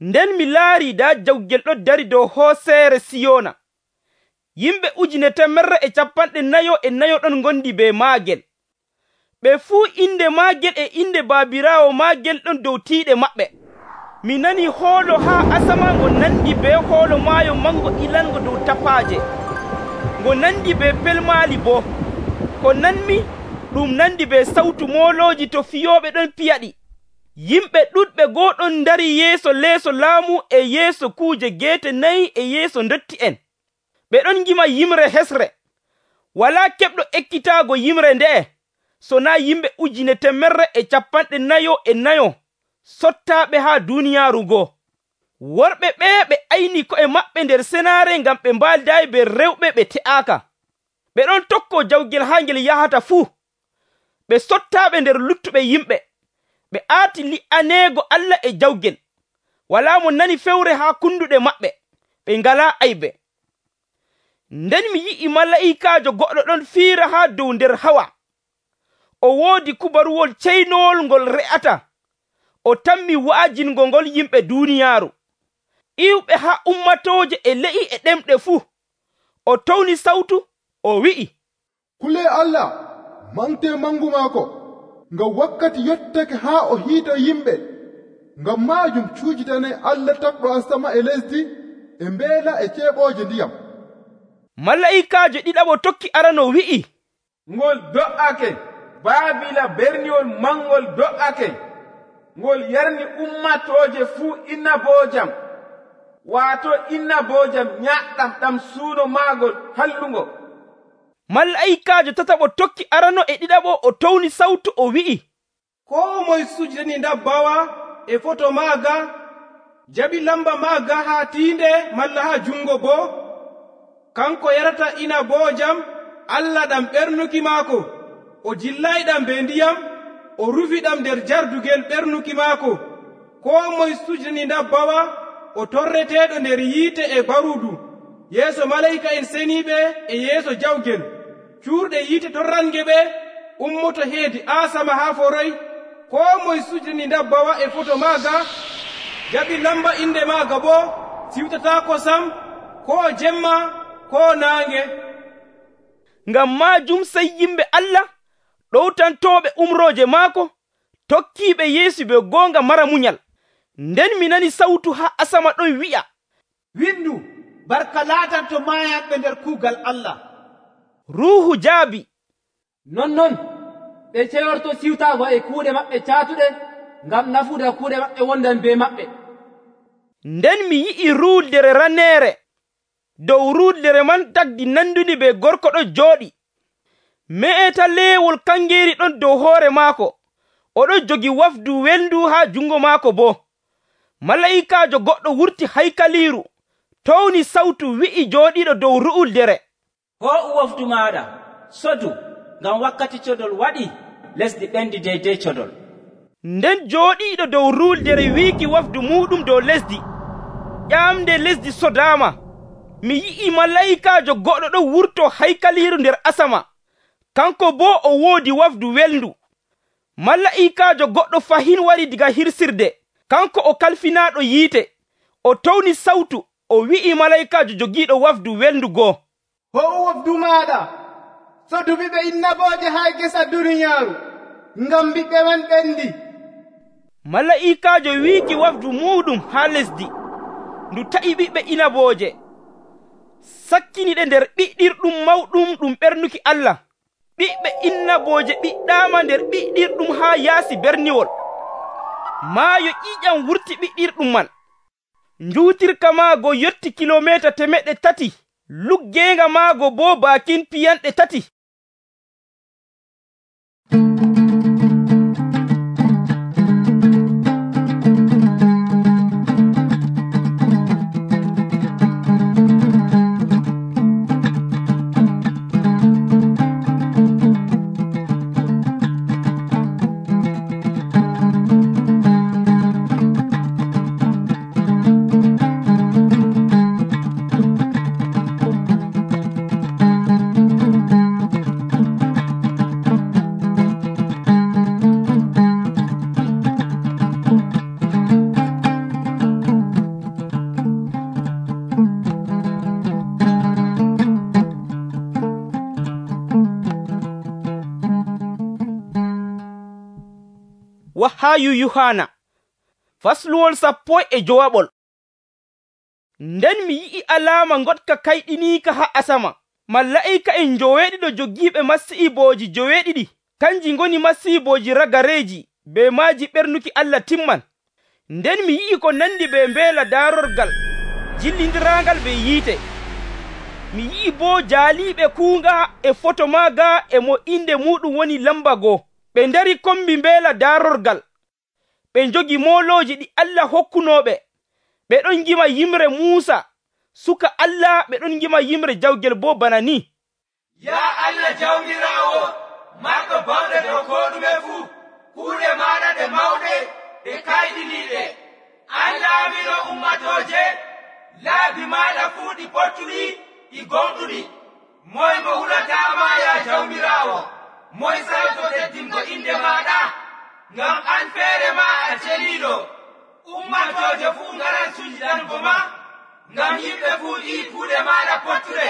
Nden mi laari daa jawgel ɗo dari dow hooseere Siyona. Yimɓe 144 ɗon ngondi be maagel. Ɓe fuu inde maagel e inde baabiraawo maagel ɗon dow tiiɗe maɓɓe. Mi nani hoolo haa asama ngo nandi be hoolo maayo mango ilango dow tapaaje. Ngo nandi be pelmaali boo. Ko nanmi ɗum nandi be sawtu moolooji to fiyooɓe ɗon piyaɗi. Yimɓe ɗuɗɓe goo ɗon ndari yeeso leeso laamu e yeeso kuuje geete 4 e yeeso ndotti en. Ɓe ɗon ngima yimre hesre. Walaa keɓɗo ekkitaago yimre nde'e, so naa yimɓe 144 sottaaɓe haa duuniyaaru goo. Worɓe ɓe ɓe ayni ko'e maɓɓe nder senaare ngam ɓe mbaaldaayi be rewɓe ɓe te'aaka. Ɓe ɗon tokko jawgel haa ngel yahata fuu. Ɓe sottaaɓe nder luttuɓe yimɓe. Ɓe aati li'aneego Allah e jawgel. Walaa mo nani fewre haa kunduɗe maɓɓe. Ɓe ngalaa aybe. Nden mi yi'i malaa'ikaajo goɗɗo ɗon fiira haa dow nder hawa. O woodi kubaruwol ceynowol ngol re'ata. O tammi wa'ajingo ngol yimɓe duuniyaaru, iwɓe haa ummatooje e le'i e ɗemɗe fuu. O towni sawtu, o wi'i, Kulee Allah, mante mangu maako, ngam wakkati yottake haa o hiito yimɓe. Ngam maajum cuujitane Allah takɗo asama e lesdi, e mbeela e ceeɓooje ndiyam. Malaa'ikaajo ɗiɗaɓo tokki arano wi'i, Ngol do'ake, Baabila berniwol mangol do'ake. Ngol yarni ummatooje fuu innaboojam, waato innaboojam nyaɗɗam ɗam suuno maagol hallungo. Malaa'ikaajo tataɓo tokki arano e ɗiɗaɓo o towni sawtu o wi'i, Koo moye sujjani ndabbawa e foto maaga, jaɓi lamba maaga haa tiinde malla haa jungo boo, kanko yarata inaboojam Allah ɗam ɓernuki maako, o jillayɗam be ndiyam, o rufiɗam nder jardugel ɓernuki maako. Koo moye sujjani ndabbawa o torreteeɗo nder yiite e baruudu, yeeso malayika en seniiɓe e yeeso jawgel. Cuurɗe yiite torrange ɓe ummoto heedi asama haa foroy. Koo moye sujjani ndabbawa e foto maaga, jaɓi lamba inde maaga boo, siwtataa kosam, koo jemma, koo naange. Ngam maajum sey yimɓe Allah ɗowtantooɓe umrooje maako tokkiiɓe Yeesu be goonga mara munyal. Nden mi nani sawtu haa asama ɗon wi'a, windu barka laatanto maayanɓe nder kuugal Allah. Ruuhu jaabi, non ɓe ceyorto siwtaago e kuuɗe maɓɓe caatuɗe ngam nafuuda kuuɗe maɓɓe wondan be maɓɓe. Nden mi yi'i ruuldere raneere. Dow ruuldere man tagdi nandundi be gorko ɗon jooɗi. Me'eta leewol kangeeri ɗon dow hoore maako. Oɗon jogi wafdu welndu haa jungo maako boo. Mala'ikaajo goɗɗo wurti haykaliiru, towni sawtu wi'i jooɗiiɗo dow ru'uldere, hoo'u wafdu maaɗa, sodu, ngam wakkati codol waɗi, lesdi ɓendi deydey codol. Nden jooɗiiɗo dow ruuldere wiiki wafdu muɗum dow lesdi, ƴamde lesdi sodaama. Mi yi'i mala'ikaajo goɗɗo ɗon wurto haykaliiru nder asama, kanko boo o woodi wafdu welndu. Mala'ikaajo goɗɗo fahin wari diga hirsirde, kanko o kalfinaaɗo yiite. O towni sawtu, o wi'i mala'ikaajo jogiiɗo wafdu welndu goo, ho'u wafdu maaɗa, sodu ɓiɓɓe innabooje haa gesa duniyaaru, ngam ɓiɓɓe man ɓendi. Mala'ikaajo wiiki wafdu muɗum haa lesdi, ndu ta'i ɓiɓɓe inabooje, sakkiniɗe nder ɓiɗɗirɗum mawɗum ɗum ɓernuki Allah. Ɓiɓɓe innabooje ɓiɗɗaama nder ɓiɗɗirɗum haa yaasi berniwol. Maayo ƴiƴam wurti ɓiɗɗirɗum man. Njuutirka maago yotti kilomeeta 300, luggeenga maago boo baakin piyanɗe 3. Wahayu Yohana fasluwol 14. Nden mi yi'i alaama ngoɗka kayɗiniika haa asama. Mala'ika en joweeɗiɗo jogiiɓe masiibooji joweeɗiɗi, kanji ngoni masiibooji ragareeji be maaji ɓernuki Allah timman. Nden mi yi'i ko nandi be mbeela daarorgal jillindiraangal be yiite. Mi yi'i boo jaaliiɓe kuunga e foto maaga e mo inde muɗum woni lamba 1. Ɓe ndari kombi mbeela daarorgal. Ɓe njogi moolooji ɗi Allah hokkunooɓe. Ɓe ɗon ngima yimre Muusa, suka Allah. Ɓe ɗon ngima yimre jawgel boo bana ni: Ya Allah jawmiraawo, marɗo bawɗe dow koo ɗume fuu, kuuɗe maaɗa ɗe mawɗe ɗe kayɗiniiɗe. An laamino ummatooje, laabi maaɗa fuu ɗi pottuɗi ɗi gonɗuɗi. Moy mo hulataama ya jawmiraawo? Moy sawto teddingo inde maaɗa? Ngam an feere ma a celiiɗo. Ummatooje fuu ngaran sujiɗango ma, ngam yimɓe fuu ƴii kuuɗe maaɗa pottuɗe.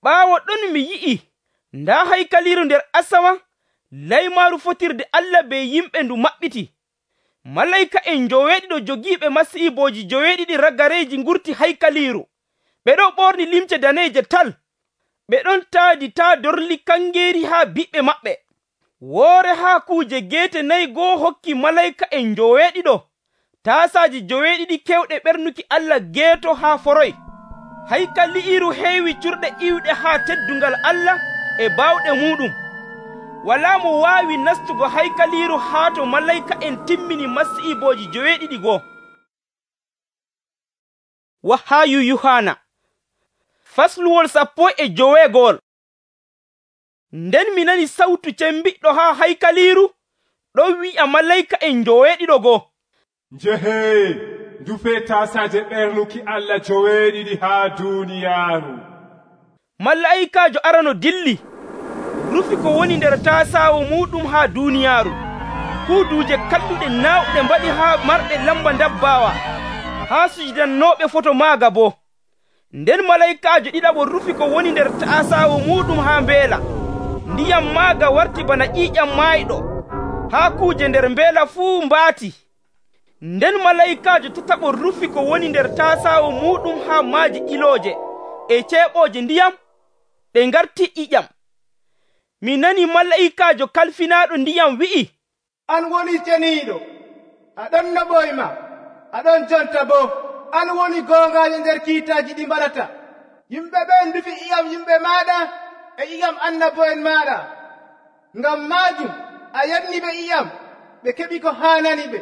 Ɓaawo ɗon mi yi'i ndaa haykaliiru nder asama, laymaaru fotirde Allah be yimɓe ndu maɓɓiti. Malayka en joweeɗiɗo jogiiɓe masiibooji joweeɗiɗi ragareeji ngurti haykaliiru. Ɓe ɗon ɓorni limce daneeje tal. Ɓe ɗon taadi taa dorli kangeeri haa biɓɓe maɓɓe. Woore haa kuuje geete 4 hokki malayka en joweeɗiɗo taasaaji joweeɗiɗi kewɗe ɓernuki Allah geeto haa foroy. Haykaliiru heewi curɗe iwɗe haa teddungal Allah e baawɗe muɗum. Walaa mo waawi nastugo haykaliiru haa to malayka en timmini masiibooji joweeɗiɗi goo. Wahayu Yohana fasluwol 15. Nden mi nani sawtu cembiɗɗo haa haykaliiru ɗon wi'a malayka en joweeɗiɗo goo, njehee ndufe taasaaje ɓernuki Allah joweeɗiɗi haa duuniyaaru. Mala'ikaajo arano dilli, rufi ko woni nder taasaawo muɗum haa duuniyaaru. Kuuduuje kalluɗe naawɗe mbaɗi haa marɗe lamba ndabbaawa, haa sujidannooɓe foto maaga boo. Nden malaykaajo ɗiɗaɓo rufi ko woni nder taasaawo muɗum haa mbeela. Ndiyam maaga warti bana ƴiiƴam maayɗo, haa kuuje nder mbeela fuu mbaati. Nden malayikaajo tataɓo rufi ko woni nder tasaawo muɗum haa maaje ilooje e ceeɓooje ndiyam ɗe ngarti ƴiƴam. Mi nani malayikaajo kalfinaaɗo ndiyam wi'i, an woni ceniiɗo, aɗon no ɓoyma, aɗon jonta boo, an woni goongaajo nder kiitaaji ɗi mbaɗata. Yimɓe ɓen ndufi ƴiƴam yimɓe maaɗa e ƴiƴam annabo'en maaɗa. Ngam maajum a yanni ɓe ƴiƴam, ɓe keɓi ko haanani ɓe.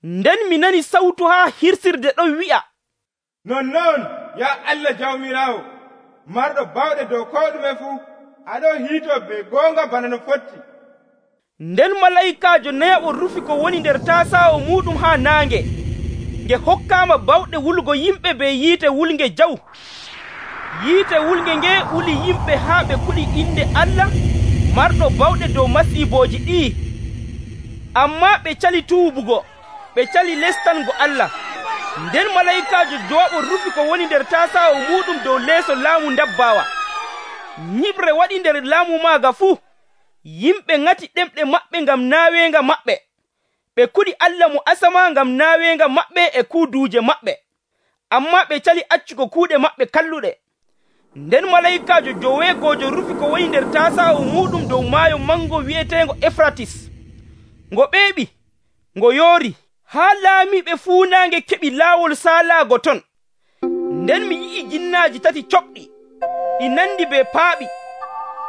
Nden mi nani sawtu haa hirsirde ɗon wi'a, nonnon ya Allah jawmiraawo, marɗo bawɗe dow ko ɗume fuu, aɗon hiito be goonga bana no fotti. Nden malayikaajo nayaɓo rufi ko woni nder tasaawo muɗum haa naange, nge hokkaama bawɗe wulugo yimɓe be yiite wulnge jaw. Yiite wulnge nge wuli yimɓe haa ɓe kuɗi inde Allah marɗo bawɗe dow masiibooji ɗi. Ammaa ɓe cali tuubugo, ɓe cali lestango Allah. Nden malayikaajo jooɓo rufi ko woni nder tasaawo muɗum dow leeso laamu ndabbaawa. Nyiɓre waɗi nder laamu maaga fuu. Yimɓe ŋati ɗemɗe maɓɓe ngam naaweenga maɓɓe. Ɓe kuɗi Allah mo asama ngam naaweenga maɓɓe e kuuduuje maɓɓe. Ammaa ɓe cali accugo kuuɗe maɓɓe kalluɗe. Nden malayikaajo joweegojo rufi ko woni nder tasaawo muɗum dow maayo mango wi'eteengo Efratis. Ngo ɓeeɓi, ngo yoori, haa laamiiɓe fuunaange keɓi laawol saalaago ton. Nden mi yi'i jinnaaji tati coɓɗi, ɗi nandi be paaɓi.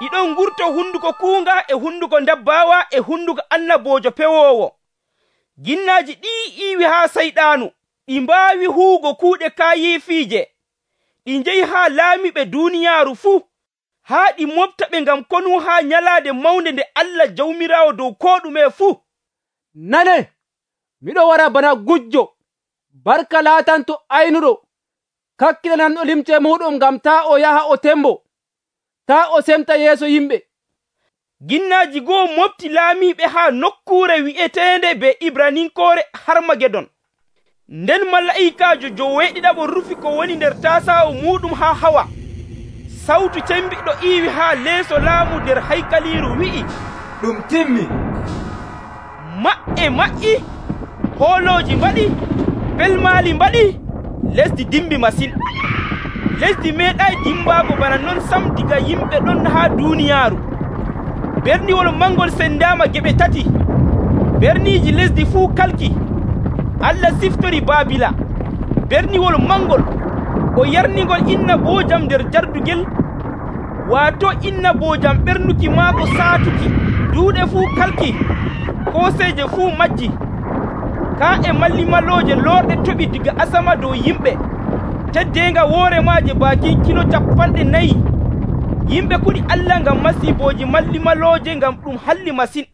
Ɗiɗon ngurto hunduko kuunga e hunduko ndabbaawa e hunduko annaboojo pewoowo. Jinnaaji ɗi iiwi haa sayɗaanu, ɗi mbaawi huugo kuuɗe kaayiifiije. Ɗi njehi haa laamiɓe duuniyaaru fuu, haa ɗi mofta ɓe ngam konu haa nyalaade mawnde nde Allah Jawmiraawo dow koo ɗume fuu. Nane, miɗo wara bana gujjo, barka laatanto aynuɗo, kakkilananɗo limce muɗum ngam taa o yaha o tembo, taa o semta yeeso yimɓe. Ginnaaji goo mofti laamiiɓe haa nokkuure wi'eteende be Ibraninkoore Harmagedon. Nden malayikaajo joweeɗiɗaɓo rufi ko woni nder tasaawo muɗum haa hawa. Sawtu cembiɗɗo iiwi haa leeso laamu nder haykaliiru wi'i, ɗum timmi. Maɓɓe maƴƴi, hoolooji mbaɗi, pelmaali mbaɗi, lesdi dimbi masin. Lesdi meeɗaayi dimbaago bana non sam diga yimɓe ɗon haa duuniyaaru. Berniwol mangol sendaama geɓe tati. Berniiji lesdi fuu kalki. Allah siftori Baabila, berniwol mangol, o yarnigol inna boojam nder jardugel, waato inna boojam ɓernuki maako saatuki. Duuɗe fuu kalki, kooseeje fuu majji. Kaa e mallimalooje loorɗe toɓi diga asama dow yimɓe. Teddeenga woore maaje baakin kilo 40. Yimɓe kuɗi Allah ngam masiibooji mallimalooje ngam ɗum halli masin.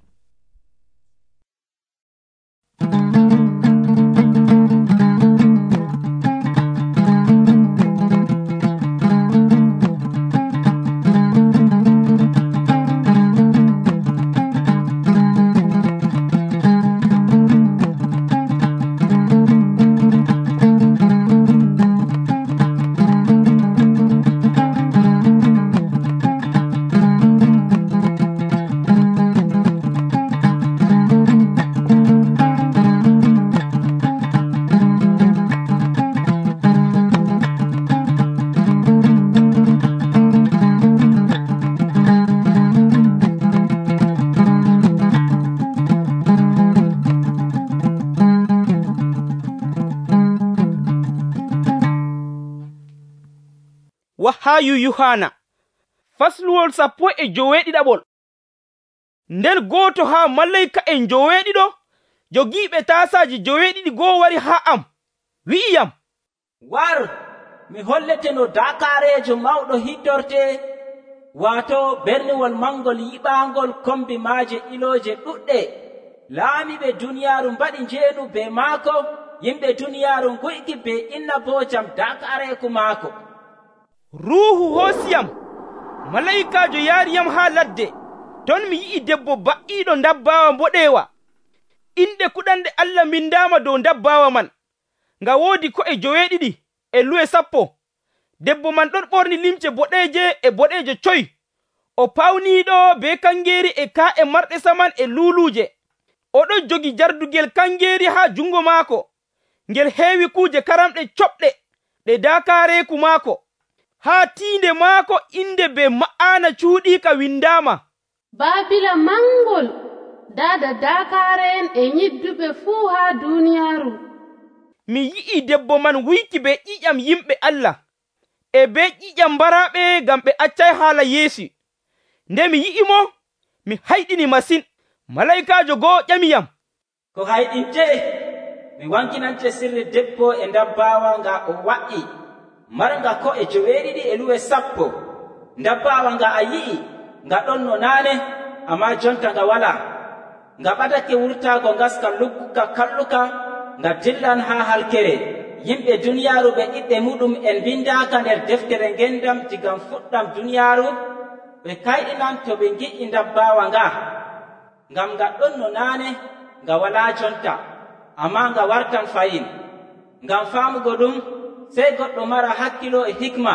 Wahayu Yohana fasluwol 17. Nden gooto haa malayika en joweeɗiɗo jogiiɓe taasaaji joweeɗiɗi goo wari haa am, wi'iyam, war, mi hollete no daakaareejo mawɗo hiddorte, waato berniwol mangol yiɓaangol kombi maaje ilooje ɗuɗɗe. Laamiɓe duniyaaru mbaɗi njeenu be maako, yimɓe duniyaaru nguyki be inna boojam daakaareeku maako. Ruuhu hoosiyam, malayikaajo yaariyam haa ladde. Ton mi yi'i debbo ba'iiɗo ndabbaawa mboɗeewa. Inde kuɗanɗe Allah mindaama dow ndabbaawa man, nga woodi ko'e joweeɗiɗi e luwe 10. Debbo man ɗon ɓorni limce boɗeeje e boɗeejo coy. O pawniiɗo be kangeeri e kaa'e marɗe saman e luuluuje. oɗon jogi jardugel kangeeri haa jungo maako, ngel heewi kuuje karamɗe coɓɗe ɗe daakaareeku maako. Haa tiinde maako inde be ma'aana cuuɗiika windaama. Baabila mangol, daada daakaare'en e nyidduɓe fuu haa duuniyaaru. Mi yi'i debbo man wuyki be ƴiƴam yimɓe Allah, e be ƴiƴam mbaraaɓe ngam ɓe accay haala Yeesu. Nde mi yi'imo, mi hayɗini masin. Malaykaajo go'o ƴamiyam, ko hayɗinte? Mi wankinante sirri debbo e ndabbawa nga o wa'i, marnga ko'e 7 e luwe 10. Ndabbawa nga a yi'i, nga ɗon no naane, ammaa jonta nga walaa. Nga ɓadake wurtaago ngaska lugguka kalluka, nga dillan haa halkere. Yimɓe duniyaaru ɓe ɓiɓɓe muɗum en bindaaka nder deftere ngendam digam fuɗɗam duniyaaru. Ɓe kayɗinam to ɓe ngi'i ndabbawa nga, ngam nga ɗon no naane, nga walaa jonta, ammaa nga wartan fayin. Ngam faamugo ɗum, sey goɗɗo mara hakkilo e hikma.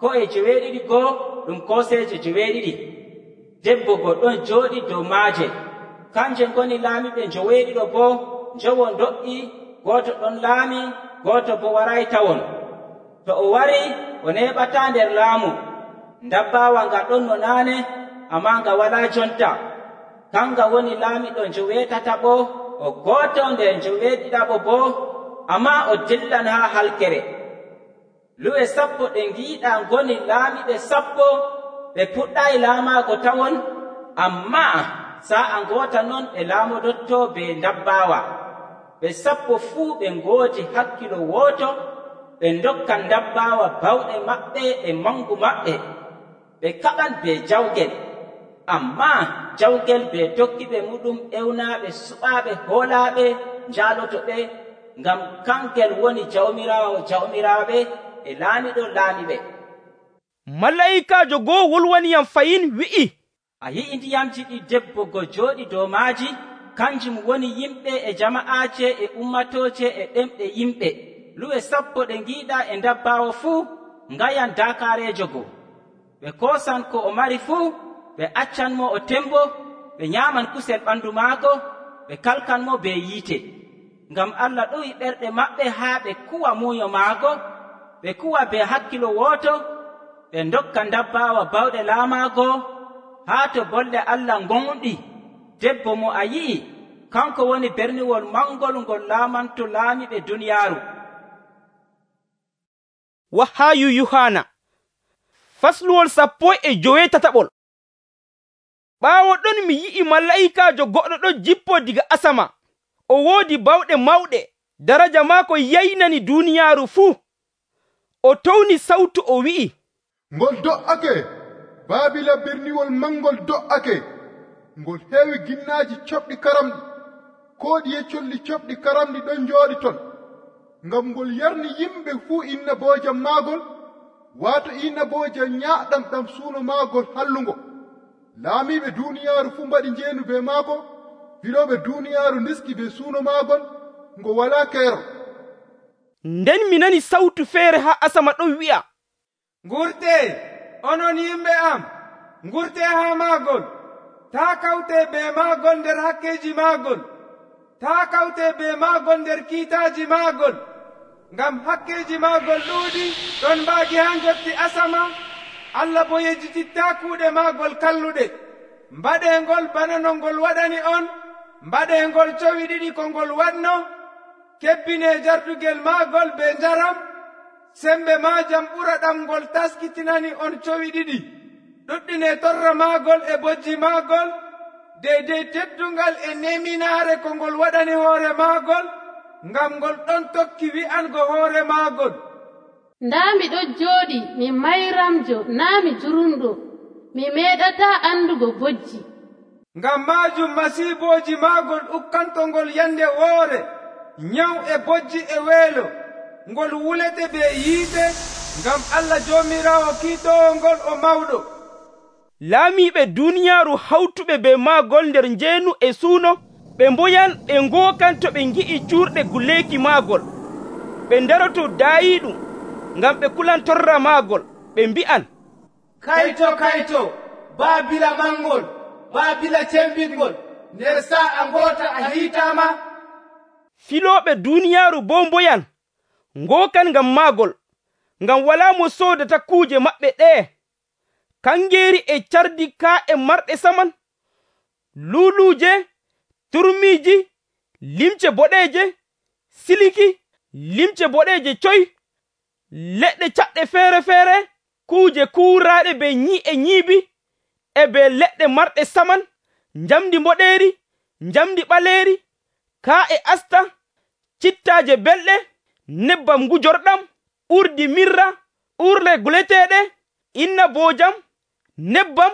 Ko'e 7 goo ɗum kooseeje 7. Debbo goɗɗon jooɗi dow maaje. Kanje ngoni laamiɓe 7 boo njowo do'i, gooto ɗon laami, gooto bo waray tawon. To o wari, o neeɓataa nder laamu. Ndabbawa nga ɗon no naane, ammaa nga walaa jonta. Kanga woni laamiɗo 8 o gooto nder 7 boo, ammaa o dillan haa halkere. Luwe 10 ɗe ngiiɗaa ngoni laamiɓe 10, ɓe puɗɗaayi laamaago tawon, ammaa sa'a ngoota non ɓe laamodottoo be ndabbawa. Ɓe 10 fuu ɓe ngoodi hakkilo wooto, ɓe ndokkan ndabbawa bawɗe maɓɓe e mangu maɓɓe. Ɓe kaɓan be jawgel, ammaa jawgel be tokkiɓe muɗum ewnaaɓe suɓaaɓe hoolaaɓe njaalotoɓe, ngam kangel woni jawmiraawo jawmiraaɓe e laamiɗo laamiɓe. Malaykaajo go'o wolwaniyam fayin wi'i, a yi'i ndiyamji ɗi debbo go jooɗi dow maaji, kanjum woni yimɓe e jama'aaje e ummatooje e ɗemɗe yimɓe. Luwe 10 ɗe ngiiɗaa e ndabbawo fuu ngayan daakaareejo go. Ɓe koosan ko o mari fuu, ɓe accanmo o tembo, ɓe nyaaman kusel ɓandu maako, ɓe kalkanmo be yiite. Ngam Allah ɗuwi ɓerɗe maɓɓe haa ɓe kuwa muuyo maako, ɓe kuwa be hakkilo wooto, ɓe ndokka ndabbawa bawɗe laamaago, haa to bolle Allah ngonɗi. Debbo mo a yi'i, kanko woni berniwol mangol ngol laamanto laamiɓe duniyaaru. Wahayu Yuhana fasluwol 17. Ɓaawo ɗon mi yi'i malaykaajo goɗɗo ɗo jippoo diga asama. O woodi bawɗe mawɗe, daraja maako yaynani duuniyaaru fuu. O towni sawtu o wi'i, ngol do'ake, Baabila berniwol mangol do'ake, ngol heewi ginnaaji coɓɗi karamɗi, kooɗiye colli coɓɗi karamɗi ɗon njooɗi ton, ngam ngol yarni yimɓe fuu innaboojam maagol, waato innaboojam nyaaɗam ɗam suuno maagol hallungo. Laamiiɓe duuniyaaru fuu mbaɗi njeenu be maako, filooɓe duuniyaaru ndiski be suuno maagol, ngo walaa keero. Nden mi nani sawtu feere haa asama ɗon wi'a, ngurtee, onon yimɓe am, ngurtee haa maagol, taa kawtee be maagol nder hakkeeji maagol, taa kawtee be maagol nder kiitaaji maagol, ngam hakkeeji maagol ɗuuɗi ɗon mbaagi haa njotti asama. Allah bo yejjitittaa kuuɗe maagol kalluɗe. Mbaɗee ngol bana no ngol waɗani on, mbaɗee ngol cowi 2 ko ngol waɗno, kebbinee jardugel maagol be njaram, sembe maajam ɓura ɗam ngol taskitinani on cowi 2. ɗuɗɗinee torra maagol e bojji maagol, deydey teddungal e neminaare ko ngol waɗani hoore maagol, ngam ngol ɗon tokki wi'ango hoore maagol, ndaa miɗo jooɗi mi mayramjo naa mi jurumɗo, mi meeɗataa andugo bojji. Ngam maajum masiibooji maagol ukkantongol yande woore, nyaw e bojji e weelo, ngol wulete be yiite, ngam Allah Joomiraawo kiitoowo ngol o mawɗo. Laamiiɓe duuniyaaru hawtuɓe be maagol nder njeenu e suuno, ɓe mboyan ɓe ngookan to ɓe ngi'i cuurɗe guleeki maagol. Ɓe ndaroto daayiiɗum, ngam ɓe kulan torra maagol, ɓe mbi'an, kayto kayto, Baabila mangol, Baabila cembingol, nder sa'a ngoota a hiitama. Filooɓe duniyaaru boo mboyan ngookan ngam maagol, ngam walaa mo soodata kuuje maɓɓe ɗee. Kangeeri e cardi kaa'e marɗe saman, luuluuje, turmiiji, limce boɗeeje, siliki, limce boɗeeje coy, leɗɗe caɗɗe feere-feere, kuuje kuuraaɗe be nyi'e nyiibi, e be leɗɗe marɗe saman, njamdi mboɗeeri, njamdi ɓaleeri, kaa'e asta, cittaaje belɗe, nebbam ngujorɗam, urdi mirra, urle guleteeɗe, innaboojam, nebbam,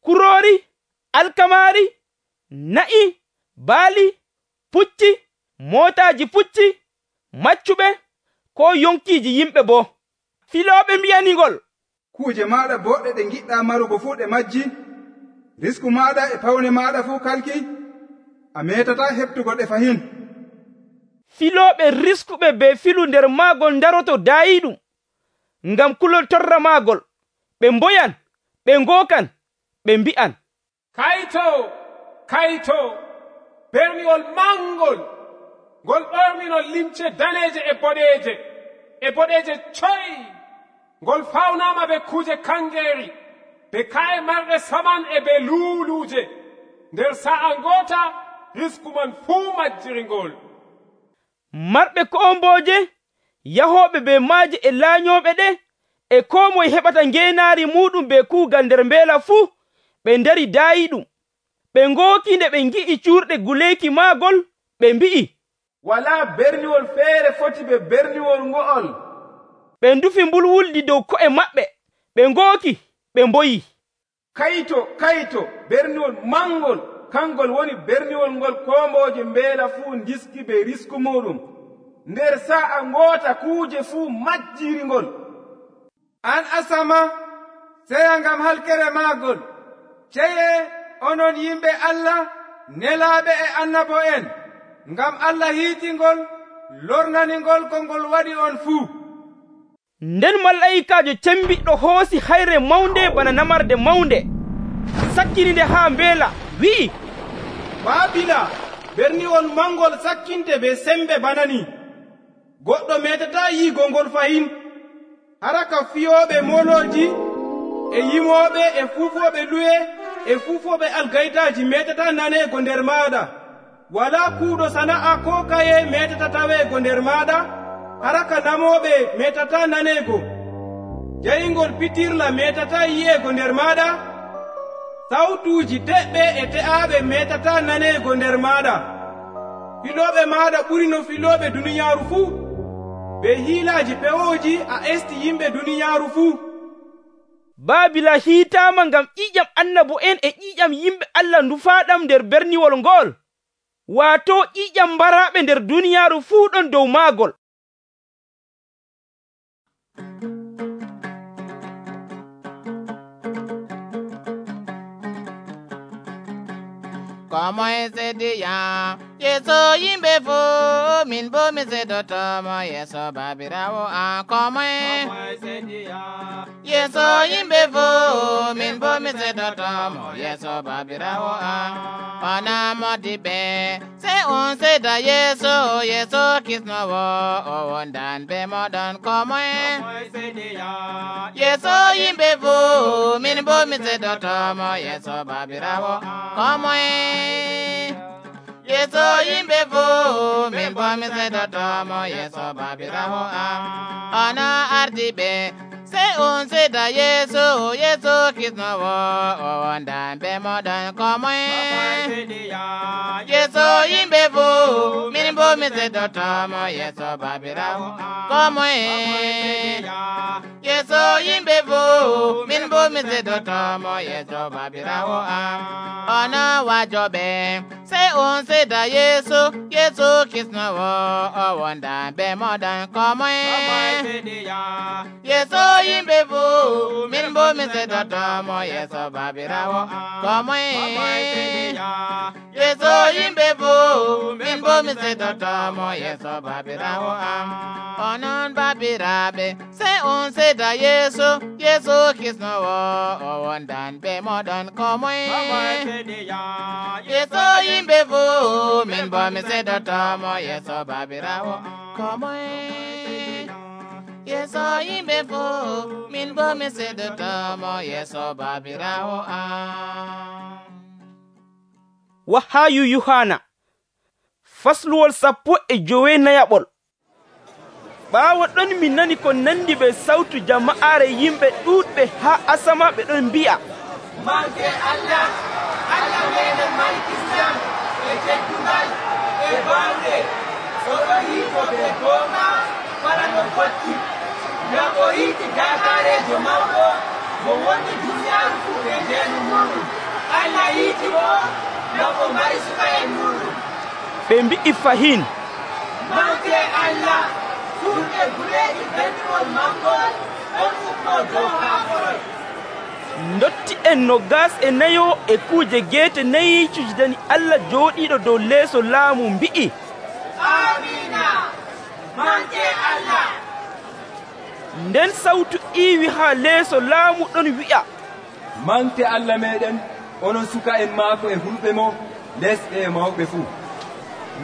kuroori, alkamaari, na'i, baali, pucci, mootaaji pucci, maccuɓe, ko yonkiiji yimɓe boo. Filooɓe mbi'aningol, kuuje maaɗa boɗɗe ɗe giɗɗa marugo fuu ɗe majji, risku maaɗa e pawne maaɗa fuu kalki, a metata heɓtugo ɗe fahin. Filooɓe riskuɓe be filu nder maagol daroto daayiɗum, ngam kulol torra maagol, ɓe mboyan, ɓe ngookan, ɓe mbi'an, kayto kayto berniwol mangol ngol ɓorninol limce daneeje e boɗeeje coy, ngol fawnama be kuuje kangeeri, be ka'e marɗe saman e be luuluuje, nder sa'a ngoota risku man fuu majjiringol. Marɓe koombooje, yahooɓe be maaje e laanyooɓe ɗe, e koo moye heɓata ngeenaari muuɗum be kuugal nder mbeela fuu, ɓe ndari daayiɗum. Ɓe ngooki nde ɓe ngi'i cuurɗe guleeki maagol, ɓe mbi'i, walaa berniwol feere foti be berniwol ngo'ol. Ɓe ndufi mbulwuldi dow ko'e maɓɓe, ɓe ngooki, ɓe mboyi, kayto kayto berniwol mangol, kangol woni berniwol ngol koombooje mbeela fuu ndiski be risku muɗum, nder sa'a ngoota kuuje fuu majjiringol. An asama seya ngam halkere maagol, ceye onon yimɓe Allah, nelaaɓe e annabo'en, ngam Allah hiitingol, lornaningol ko ngol waɗi on fuu. Nden malayikaajo cembiɗɗo hoosi hayre mawnde bana namarde mawnde, sakkini nde haa mbeela, wi'i, Baabila, berniwol mangol sakkinte be sembe bana ni, goɗɗo metata yiigo ngol fahin. Hara ka fiyooɓe molooji e yimooɓe e fuufooɓe luwe e fuufooɓe algaytaaji metata naneego nder maaɗa. Walaa kuuɗo sana'a ko kaye metata taweego nder maaɗa. Hara ka namooɓe metata naneego. Jayingol pitirla metata yi'eego nder maaɗa. Sawtuuji teɓɓe e te'aaɓe metata naneego nder maaɗa. Filooɓe maaɗa ɓuri no filooɓe duniyaaru fuu. Be hiilaaji pewooji a esti yimɓe duniyaaru fuu. Baabila hiitaama ngam ƴiƴam annabo'en e ƴiƴam yimɓe Allah ndufaaɗam nder berniwol ngol, waato ƴiƴam mbaraaɓe nder duniyaaru fuu ɗon dow maagol. Komoye sediya Yeso yimɓe fo min bo mi sedotomo Yeso babirawo an komoye Yeso yimɓe fo min bo mi sedotomo Yeso babirawo an ona modiɓe se on seda Yeso Yeso kisnowo o wondan be moɗon komoye Yeso yimɓe fo min bo mi sedotomo Yeso babirawo komoye Yeso yimɓe fo min bo mi sedotomo Yeso babirawo am ona ardiɓe se on seda Yeso Yeso kisnowo o wondan be moɗon komoye Yeso yimɓe fo min bo mi sedotomo Yeso babirawo komoye Yeso yimɓe fo min bo mi sedotomo Yeso babirawo am ona wajoɓe se on seda Yeso Yeso kisnowo o wondan be moɗon komoye Yeso yimɓe fo min bo bomi sedotomo yeso babirawo komoye yeso yimɓe fo min bomi sedotomo yeso babirawo am onon babiraɓe sey on seda yeso yeso kisnowo o wondan be moɗon komoye yeso yimɓe fo min bomi sedotomo yeso babirawo komoye yeso yimɓe fo min bomi sedotomo yeso babirawo am. Wahayu Yohana fasluwol 14. ɓaawo ɗon mi nani ko nandi be sawtu jama'aare yimɓe ɗuuɗɓe haa asama ɓe ɗon mbi'a, manke Allah, Allah meɗen malkisiyam e teddungal e bawɗe oɗo hiito ɓe goonga wala no fotti ngam o hiiti dakarejo mawɗo mo woni duniyaaru fuu ɓe ndeenu muɗum. Allah hiiti mo ngam o mari suka en muɗum. ɓe mbi'i fahin, manke Allah suuɗe gureeji bendiwol mangol on fuɗɗo dow haakorol. ndotti en 24 e kuuje geete 4 cujidani Allah jooɗiiɗo dow leeso laamu mbi'i, amina manke Allah. nden sawtu iiwi haa leeso laamu ɗon wi'a, mante Allah meɗen onon suka en maako e hulɓe mo lesɗe e mawɓe fuu.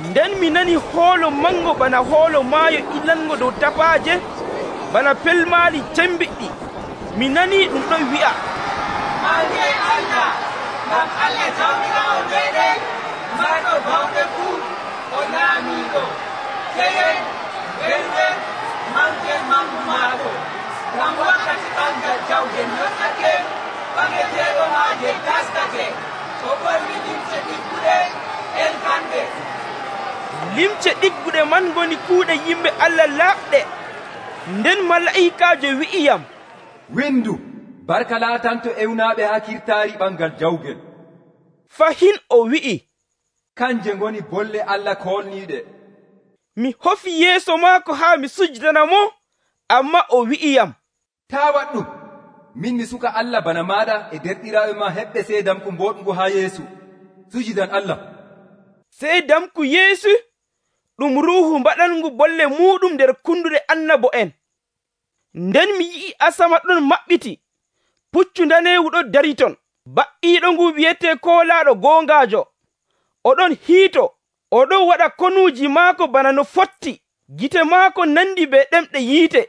nden mi nani hoolo mango bana hoolo maayo ilango dow tapaaje bana pelmaali cembiɗɗi. mi nani ɗum ɗon wi'a, manke Allah ngam Allah jawmirawo meɗen marɗo bawɗe fuu o laamiiɗo keyen welɓe manken mangu maako ngam wakkati ɓangal jawge yottake ɓaŋeteeɗo maaje taskake o ɓorni limce ɗigguɗe elkanɗe. limce ɗigguɗe man ngoni kuuɗe yimɓe Allah laaɓɗe. nden mala'ikaajo wi'iyam, windu barka laatanto ewnaaɓe haa kirtaari ɓangal jawgel. fahin o wi'i, kanje ngoni bolle Allah koolniiɗe. mi hofi yeeso maako haa mi sujjidana mo, amma o wi'iyam, taa waɗɗum, min mi suka Allah bana maaɗa e derɗiraaɓe ma heɓɓe seedamku mboɗngu haa yeesu sujidan Allah. seedamku yeesu ɗum ruuhu mbaɗangu bolle muɗum nder kunduɗe annabo en. nden mi yi'i asama ɗon maɓɓiti, puccu daneewu ɗo dari ton, ba'iiɗo ngu wiyete koolaaɗo goongaajo, oɗon hiito, oɗon waɗa konuuji maako bana no fotti, gite maako nandi be ɗemɗe yiite,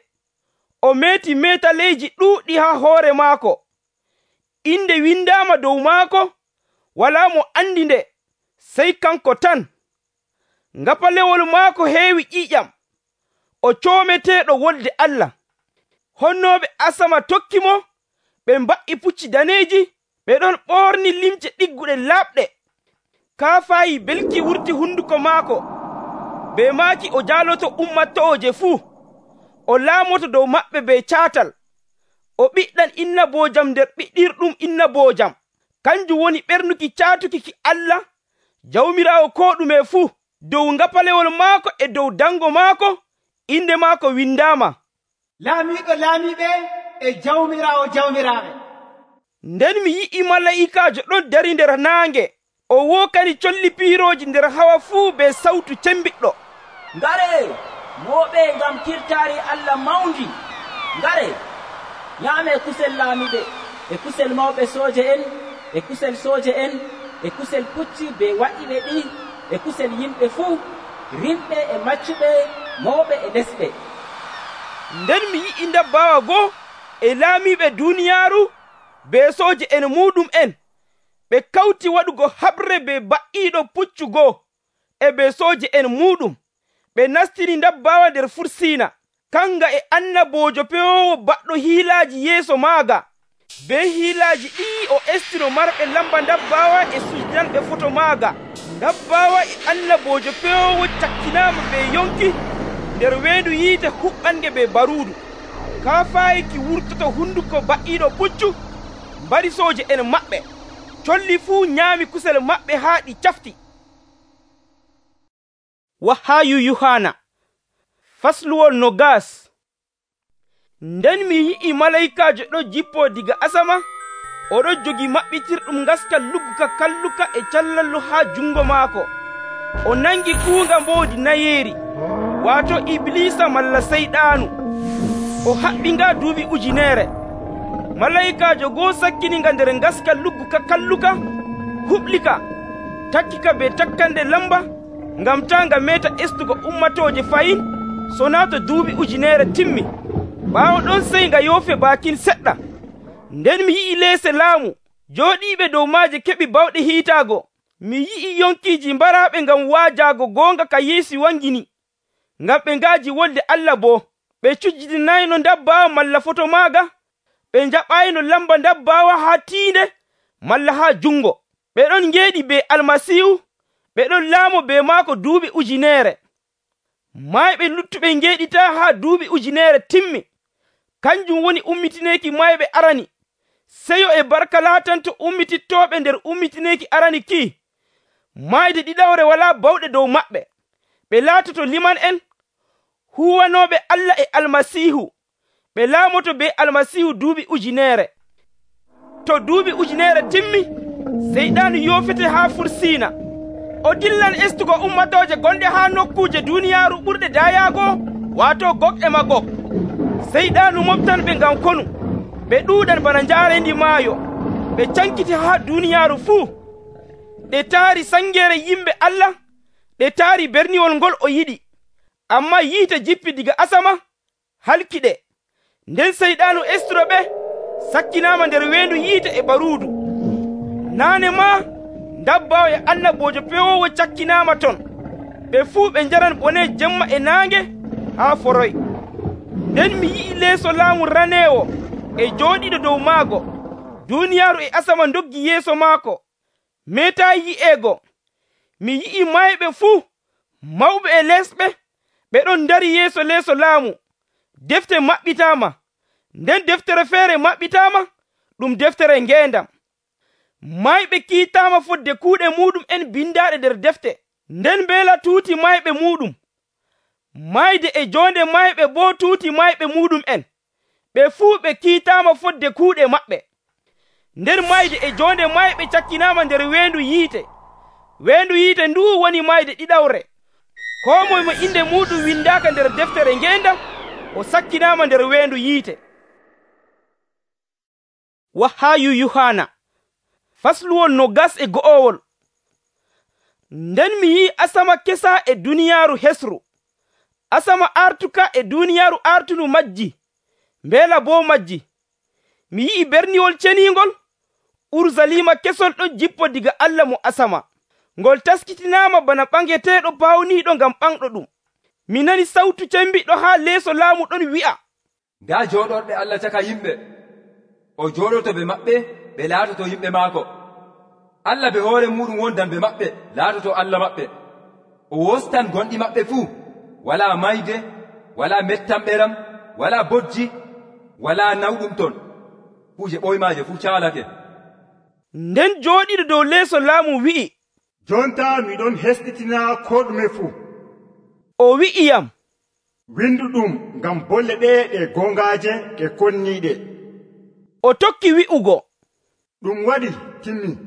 o meeti meetaleeji ɗuuɗɗi haa hoore maako. inde windaama dow maako, walaa mo andi nde sey kanko tan. ngapalewol maako heewi ƴiiƴam, o coometeeɗo wolde Allah. honnooɓe asama tokki mo, ɓe mba'i pucci daneeji, ɓe ɗon ɓoorni limce ɗigguɗe laaɓɗe. kaafaayi belki wurti hunduko maako, be maaki o jaaloto ummatooje fuu, o laamoto dow maɓɓe be caatal, o ɓiɗɗan innaboojam nder ɓiɗɗirɗum innaboojam. kanjum woni ɓernuki caatuki ki Allah jawmiraawo ko ɗume fuu. dow ngapalewol maako e dow dango maako inde maako windaama, laamiiɗo laamiiɓe e jawmiraawo jawmiraaɓe. nden mi yi'i mala'ikaajo ɗon dari nder naange, o wookani colli piirooji nder hawa fuu be sawtu cembiɗɗo, ngare mooɓe ngam kirtaari Allah mawndi, ngare nyaame kusel laamiɓe e kusel mawɓe sooje en e kusel sooje en e kusel pucci be waɗiɓe ɗi e kusel yimɓe fuu, rimɓe e maccuɓe, mawɓe e lesɓe. nden mi yi'i ndabbawa goo e laamiɓe duuniyaaru be sooje en muɗum en, ɓe kawti waɗugo haɓre be ba'iiɗo puccu goo e be sooje en muɗum. ɓe nastini ndabbawa nder fursiina, kanga e annaboojo pewowo baɗɗo hiilaaji yeeso maaga. be hiilaaji ɗi o estino marɓe lamba ndabbawa e sujdanɓe foto maaga. ndabbawa e annaboojo pewowo cakkinaama be yonki nder weedu yiite huɓɓange be baruudu. kaafaayi ki wurtoto hunduko ba'iiɗo puccu mbari sooje en maɓɓe. colli fuu nyaami kusel maɓɓe haa ɗi cafti. Wahayu Yohana fasluwol 20. Nden mi yi'i malayikaajo ɗo jippoo diga asama, oɗo jogi maɓɓitirɗum ngaskal luggu ka kalluka e callallu haa jungo maako. O nangi kuunga mboodi nayeeri, waato Iblisa malla Seyɗaanu. O haɓɓinga duuɓi 1,000. Malayikaajo goo sakkininga nder ngaskal luggu ka kalluka, huɓlika, takkika be takkande lamba, ngam taa nga meeta estugo ummatooje fayin, sonaa to duuɓi 1,000 timmi. Ɓaawo ɗon sey nga yoofe baakin seɗɗa. Nden mi yi'i leese laamu, jooɗiiɓe dow maaje keɓi bawɗe hiitaago. Mi yi'i yonkiiji mbaraaɓe ngam waajaago goonga ka Yeesu wangini, ngam ɓe ngaaji wolde Allah boo. Ɓe cujjidinayno ndabbaawa malla foto maaga, ɓe njaɓayno lamba ndabbaawa haa tiinde malla haa jungo. Ɓe ɗon ngeeɗi be Almasiihu, ɓe ɗon laamo be maako duuɓi 1,000. Mayɓe luttuɓe ngeeɗitaa haa duuɓi 1,000 timmi. Kanjum woni ummitineeki mayɓe arani. Seyo e barka laatanto ummitittooɓe nder ummitineeki arani ki. Mayde ɗiɗawre walaa bawɗe dow maɓɓe. Ɓe laatoto liman'en, huwanooɓe Allah e Almasiihu. Ɓe laamoto be Almasiihu duuɓi 1,000. To duuɓi 1,000 timmi, Seyɗaanu yoofete haa fursiina. O dillan estugo ummatooje gonɗe haa nokkuuje duuniyaaru ɓurɗe dayaago, waato Gog e Magog. Seyɗaanu moftanɓe ngam konu. Ɓe ɗuuɗan bana njaarendi maayo. Ɓe cankiti haa duuniyaaru fuu. Ɗe taari sangeere yimɓe Allah, ɗe taari berniwol ngol o yiɗi. Ammaa yiite jippi diga asama, halki ɗe. Nden Seyɗaanu estuɗo ɓe sakkinaama nder weendu yiite e baruudu. Naane maa ndabbaawo e annaboojo pewoowo cakkinaama ton. Ɓe fuu ɓe njaran bone jemma e naange haa foroy. Nden mi yi'i leeso laamu raneewo e jooɗiiɗo dow maago. Duuniyaaru e asama ndoggi yeeso maako, meetaa yi'eego. Mi yi'i mayɓe fuu, mawɓe e lesɓe, ɓe ɗon ndari yeeso leeso laamu. Defte maɓɓitaama. Nden deftere feere maɓɓitaama, ɗum deftere ngeendam. Mayɓe kiitaama fodde kuuɗe muuɗum en bindaaɗe nder defte. Nden mbeela tuuti mayɓe muuɗum. Mayde e joonde mayɓe boo tuuti mayɓe muuɗum en. Ɓe fuu ɓe kiitaama fodde kuuɗe maɓɓe. Nder mayde e joonde mayɓe cakkinaama nder weendu yiite. Weendu yiite nduu woni mayde ɗiɗawre. Koo moye mo inde muuɗum windaaka nder deftere ngeendam, o sakkinaama nder weendu yiite. Wahaayu Yuhaana fasluwol 21. Nden mi yi'i asama kesa e duniyaaru hesru. Asama artuka e duniyaaru artunu majji, mbeela boo majji. Mi yi'i berniwol ceniingol, Urusalima kesol ɗon jippo diga Allah mo asama. Ngol taskitinaama bana ɓangeteeɗo pawniiɗo ngam ɓanɗo ɗum. Mi nani sawtu cembiɗɗo haa leeso laamu ɗon wi'a, nda jooɗorɓe Allah caka yimɓe. O jooɗoto be maɓɓe, ɓe laatoto yimɓe maako. Allah be hoore muɗum wondan be maɓɓe, laatoto Allah maɓɓe. O wostan gonɗi maɓɓe fuu, walaa mayde, walaa mettanɓeram, walaa bojji, walaa nawɗum ton. Kuuje ɓoymaaje fuu caalake. Nden jooɗiɗo dow leeso laamu wi'i, jonta miɗon hesɗitina ko ɗume fuu. O wi'iyam, windu ɗum ngam bolle ɗe ɗe gongaaje ɗe konniiɗe. O tokki wi'ugo, ɗum waɗi timmi.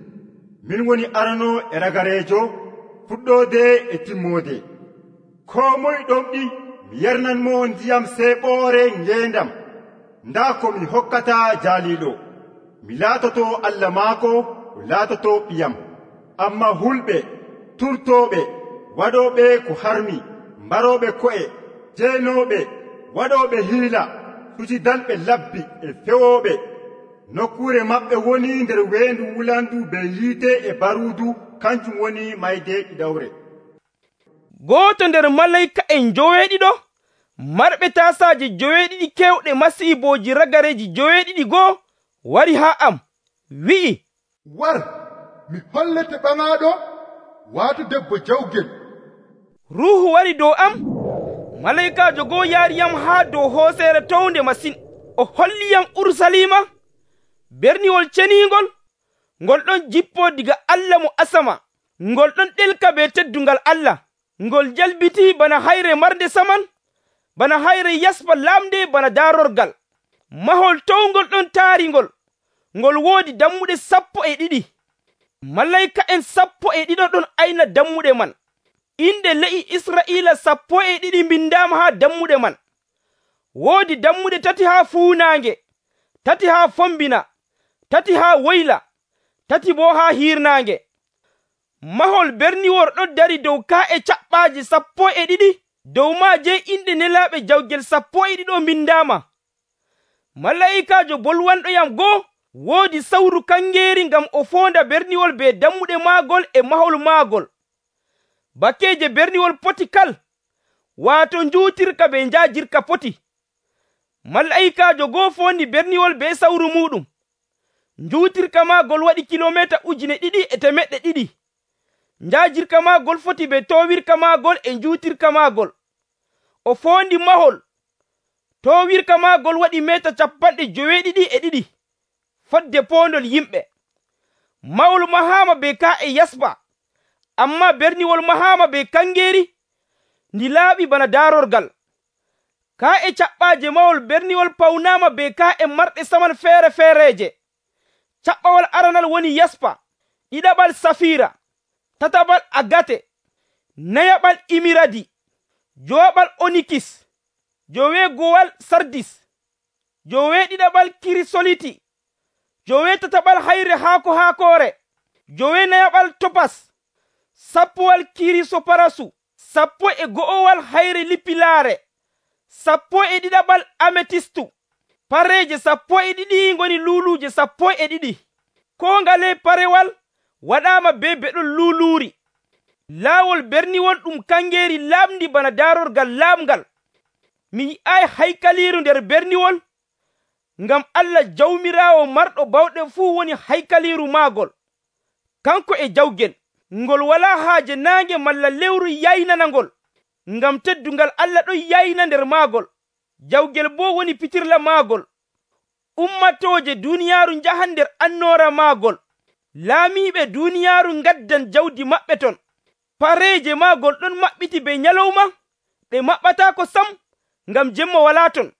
Min woni arano e ragareejo, fuɗɗoode e timmoode. Koo moye ɗomɗi mi yernanmo ndiyam seeɓoore ngeendam. Ndaa ko mi hokkata jaaliiɗo. Mi laatoto Allah maako, o laatoto ɓiyam. Amma hulɓe, turtooɓe, waɗooɓe ko harmi, mbarooɓe ko'e, jeenooɓe, waɗooɓe hiila, sucidalɓe labbi e fewooɓe, nokkuure maɓɓe woni nder weendu wulandu be yiite e baruudu, kanjum woni mayde ɗiɗawre. Gooto nder malayika en joweeɗiɗo, marɓe taasaaje joweeɗiɗi kewɗe masiibooji ragareeji joweeɗiɗi goo, wari haa am, wi'i, war, mi hollete ɓaŋaaɗo, waatu debbo jawgel. Ruuhu wari dow am, malayikaajo goo yaariyam haa dow hooseere townde masin. O holliyam Urusalima, berniwol ceniingol, ngol ɗon jippoo diga Allah mo asama. Ngol ɗon ɗelka be teddungal Allah. Ngol jalbitii bana hayre marde saman, bana hayre yaspa laamde bana daarorgal. Mahol towngol ɗon taaringol, ngol woodi dammuɗe 12. Malayika'en 12 ɗon ayna dammuɗe man. Inde le'i Israa'iila 12 mbindaama haa dammuɗe man. Woodi dammuɗe 3 haa fuunaange, 3 haa fombina, 3 haa woyla, 3 boo haa hiirnaange. Mahol berniwol ɗon dari dow kaa'e caɓɓaaje 12, dow maaje inde nelaaɓe jawgel 12 mbindaama. Malaa'ikaajo bolwanɗoyam go'o woodi sawru kangeeri ngam o foonda berniwol be dammuɗe maagol e mahol maagol. Bakkeeje berniwol poti kal, waato njuutirka be njaajirka poti. Malaa'ikaajo go'o foondi berniwol be sawru muuɗum. Njuutirka maagol waɗi kilomeeta 2,200. Njaajirka maagol foti be toowirka maagol e njuutirka maagol. O foondi mahol. Toowirka maagol waɗi meeta 92 fodde poondol yimɓe. Mahol mahaama be kaa'e yaspa, ammaa berniwol mahaama be kangeeri ndi laaɓi bana daarorgal. Kaa'e caɓɓaaje mahol berniwol pawnaama be kaa'e marɗe saman feere-feereeje. Caɓɓawal aranal woni yaspa, ɗiɗaɓal safiira, tataɓal agate, nayaɓal imiradi, jowaɓal onikis, joweegowal sardis, joweeɗiɗaɓal kirisoliti, joweetataɓal hayre haako-haakoore, joweenayaɓal topas, sappowal kirisoparasu, 11 hayre lippilaare, 12 ametistu. Pareeje 12 ngoni luuluuje 12. Koo ngale parewal waɗaama be beɗol luuluuri. Laawol berniwol ɗum kangeeri laaɓndi bana daarorgal laaɓngal. Mi yi'ay haykaliiru nder berniwol, ngam Allah Jawmiraawo marɗo bawɗe fuu woni haykaliiru maagol. Kanko e jawgel, ngol walaa haaje naange malla lewru yaynanangol, ngam teddungal Allah ɗon yayna nder maagol. Jawgel boo woni pitirla maagol. Ummatooje duuniyaaru njahan nder annoora maagol. Laamiiɓe duuniyaaru ngaddan jawdi maɓɓe ton. Pareeje maagol ɗon maɓɓiti be nyalawma, ɗe maɓɓataako sam, ngam jemma walaa ton.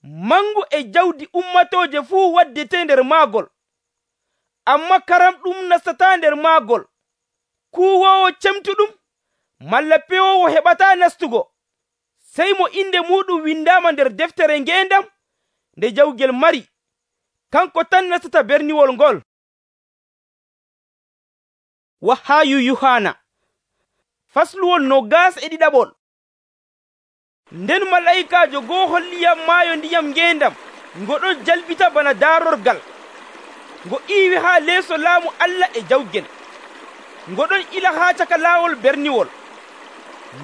Mangu e jawdi ummatooje fuu waddete nder maagol. Amma karam ɗum nastataa nder maagol. Kuwoowo cemtuɗum, malla pewoowo heɓataa nastugo, sey mo inde muɗum windaama nder deftere ngeendam nde jawgel mari. Kanko tan nastata berniwol ngol. Wahaayu Yuhana fasluwol 21. Nden malayikaajo go'o holliyam maayo ndiyam ngeendam ngo ɗon jalbita bana daarorgal. Ngo iiwi haa leeso laamu Allah e jawgel. Ngo ɗon ila haa caka laawol berniwol.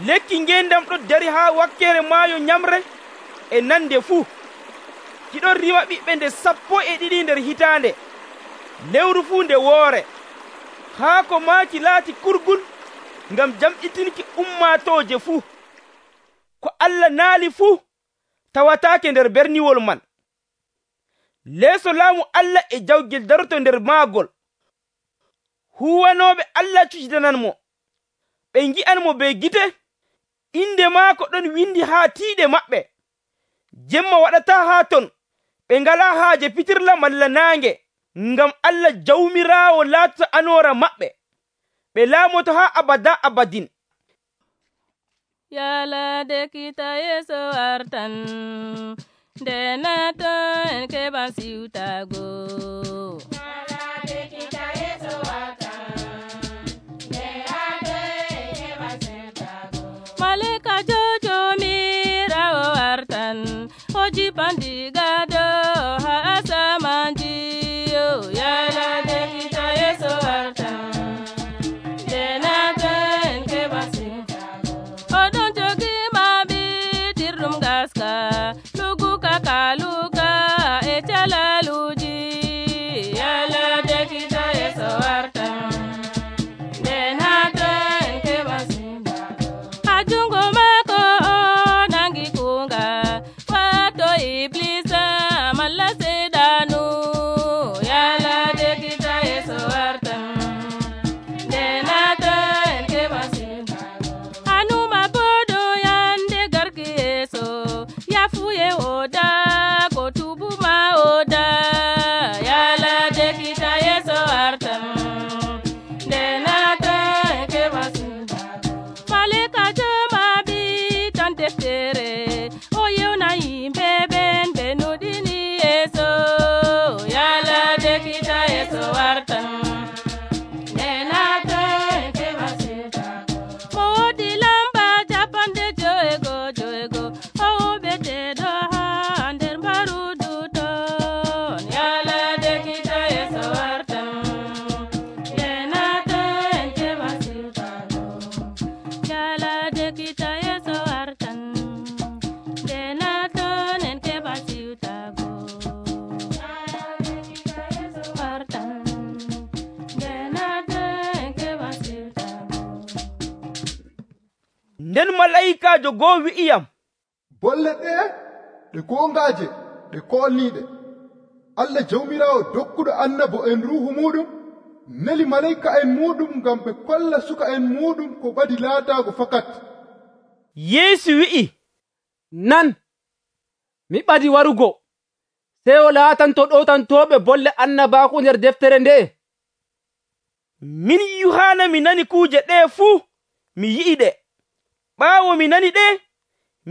Lekki ngeendam ɗon dari haa wakkere maayo nyamre e nande fuu. Ki ɗon rima ɓiɓɓe nde 12 nder hitaande, lewru fuu nde woore. Haako maaki laati kurgul ngam jamɗitinki ummatooje fuu. Ko Allah naali fuu tawataake nder berniwol man. Leeso laamu Allah e jawgel daroto nder maagol. Huwanooɓe Allah cucidananmo. Ɓe ngi'anmo be gite. Inde maako ɗon windi haa tiiɗe maɓɓe. Jemma waɗataa haa ton. Ɓe ngalaa haaje pitirla malla naange, ngam Allah Jawmiraawo laatata anoora maɓɓe. Ɓe laamoto haa abada abadin. Yalade kita Yesu wartan, denato en keban siutago. Yalade kita Yesu wartan, denato en keban siutago. Malika jojo mirawo wartan, hoji pandigado ha asamanji. Yalade kita Yesu wartan, denato en keban siutago. Odon jogi mabi tirrum gaska, lugu kakaluka e chalaluji. oda yalade kita yeso artan nde nata keɓa sindago malika jomaɓi tan deftere o yewna yimɓe ɓen ɓe nuɗini yeso yalade kita yeso artan nde nata keɓa sindago mo wodi lamba japanɗe joego o ɓeteɗo ha nder mbarudu ɗon yalade kita yeso wartan nde nata en keɓa siwtago yalade kita yeso wartan nde naton en keɓa siwtago wartan nde naton en keɓa siwtago. nden malayikajo goo wi'iyam bolle ɗe ɗe gongaje ɗe kolniɗe allah jawmirawo dokkuɗo annabo en ruhu muɗum neli malayika en muɗum ngam ɓe kolla suka en muɗum ko ɓadi laatago fakat. yeesu wi'i nan mi ɓadi warugo sey o laatanto ɗowtantoɓe bolle annabaku nder deftere nde'e. min yuhana mi nani kuuje ɗe fuu mi yi'i ɗe. ɓaawo mi nani ɗe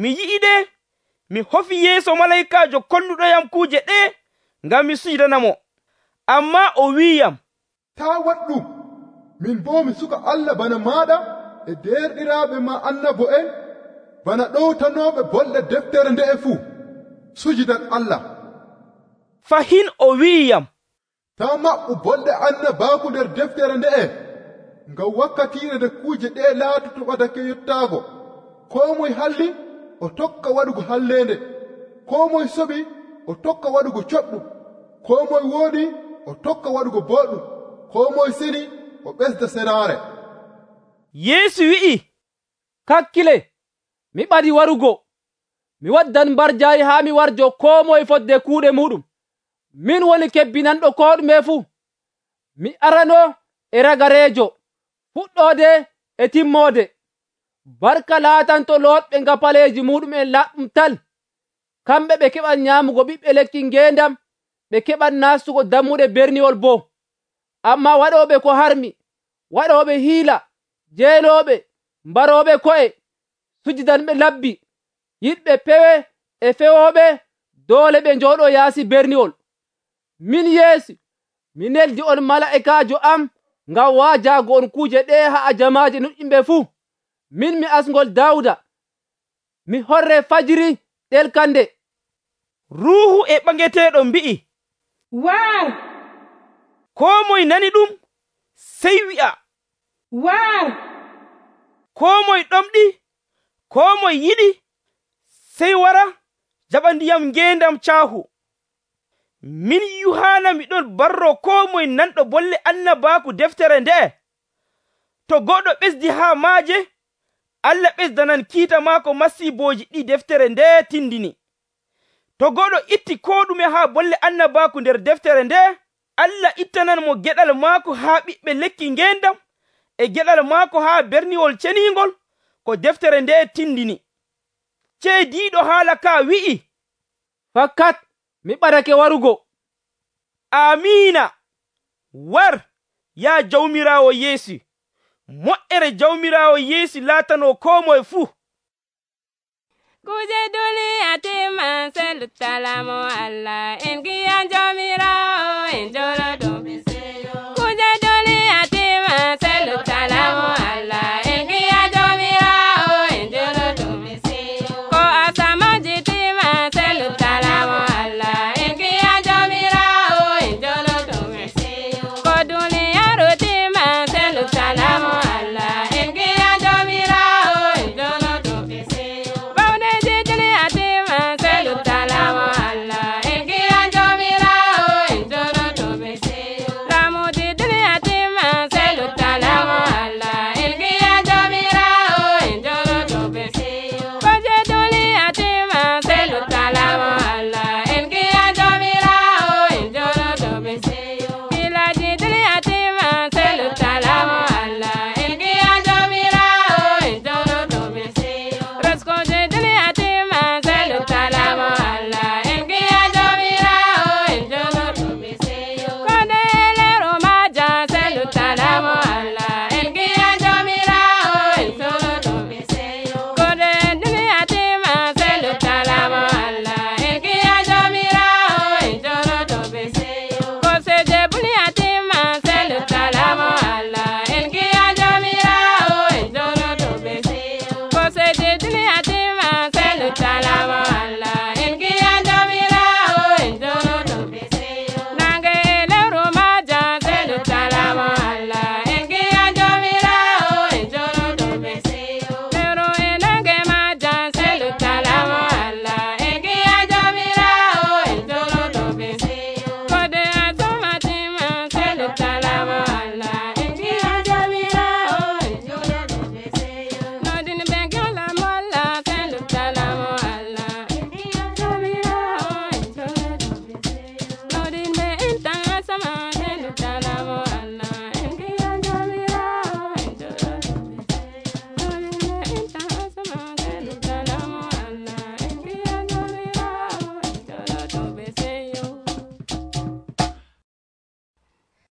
mi yi'i ɗe mi hofi yeeso malayikajo kolluɗoyam kuuje ɗe ngam mi sujudanamo. amma o wi'iyam ta waɗ ɗum, min bo mi suka allah bana maɗa e derɗiraɓe ma annabo en bana ɗowtanoɓe bolle deftere nde'e fuu sujudan allah. fahin o wi'iyam ta maɓɓu bolle annabaku nder deftere nde'e ngam wakkatire nde kuuje ɗe laatoto ɓadake yottaago. ko moye halli o tokka waɗugo hallende, ko moye soɓi o tokka waɗugo coɗɗum, ko moye wooɗi o tokka waɗugo boɗɗum, ko moye seni o ɓesda senaare. yeesu wi'i kakkile mi ɓadi warugo mi waddan mbarjaayi haa mi warjo ko moye fodde kuuɗe muɗum. min woni kebbinanɗo ko ɗume fuu. mi arano e ragareejo fuɗɗode e timmode. barka laatanto looɗɓe ngapaleeji muɗumen laɓɗum tal. kamɓe ɓe keɓan nyaamugo ɓiɓɓe lekki ngeendam, ɓe keɓan nastugo dammuɗe berniwol boo. amma waɗooɓe ko harmi, waɗooɓe hiila, jeelooɓe, mbarooɓe ko'e, sujidanɓe labbi, yiɗɓe pewe e fewooɓe, doole ɓe njooɗoo yaasi berniwol. min Yeesu mi neldi on mala'ikaajo am ngam waajaago on kuuje ɗe haa jamaaje nuɗɗinɓe fuu. min mi asngol Daawuda, mi horre fajiri ɗelkande. ruuhu e ɓaŋeteeɗo mbi'i waar. koo moye nani ɗum sey wi'a waar. koo moye ɗomɗi, koo moye yiɗi sey wara jaɓa ndiyam ngeendam caahu. min yuhana miɗon barro koo moye nanɗo bolle annabaaku deftere nde'e. to goɗɗo ɓesdi haa maaje, allah ɓesdanan kiita maako masiibooji ɗi deftere nde tindini. to goɗɗo itti koo ɗume haa bolle annabaaku nder deftere nde, allah ittanan mo geɗal maako haa ɓiɓɓe lekki ngeendam e geɗal maako haa berniwol ceniingol ko deftere nde tindini. ceediiɗo haala ka wi'i fakkat mi ɓadake warugo. amiina. war yaa jawmiraawo yeesu. moƴƴere jawmiraawo yeesu laatano koo moye fuu. kuje duniya timman se luttalaamo allah en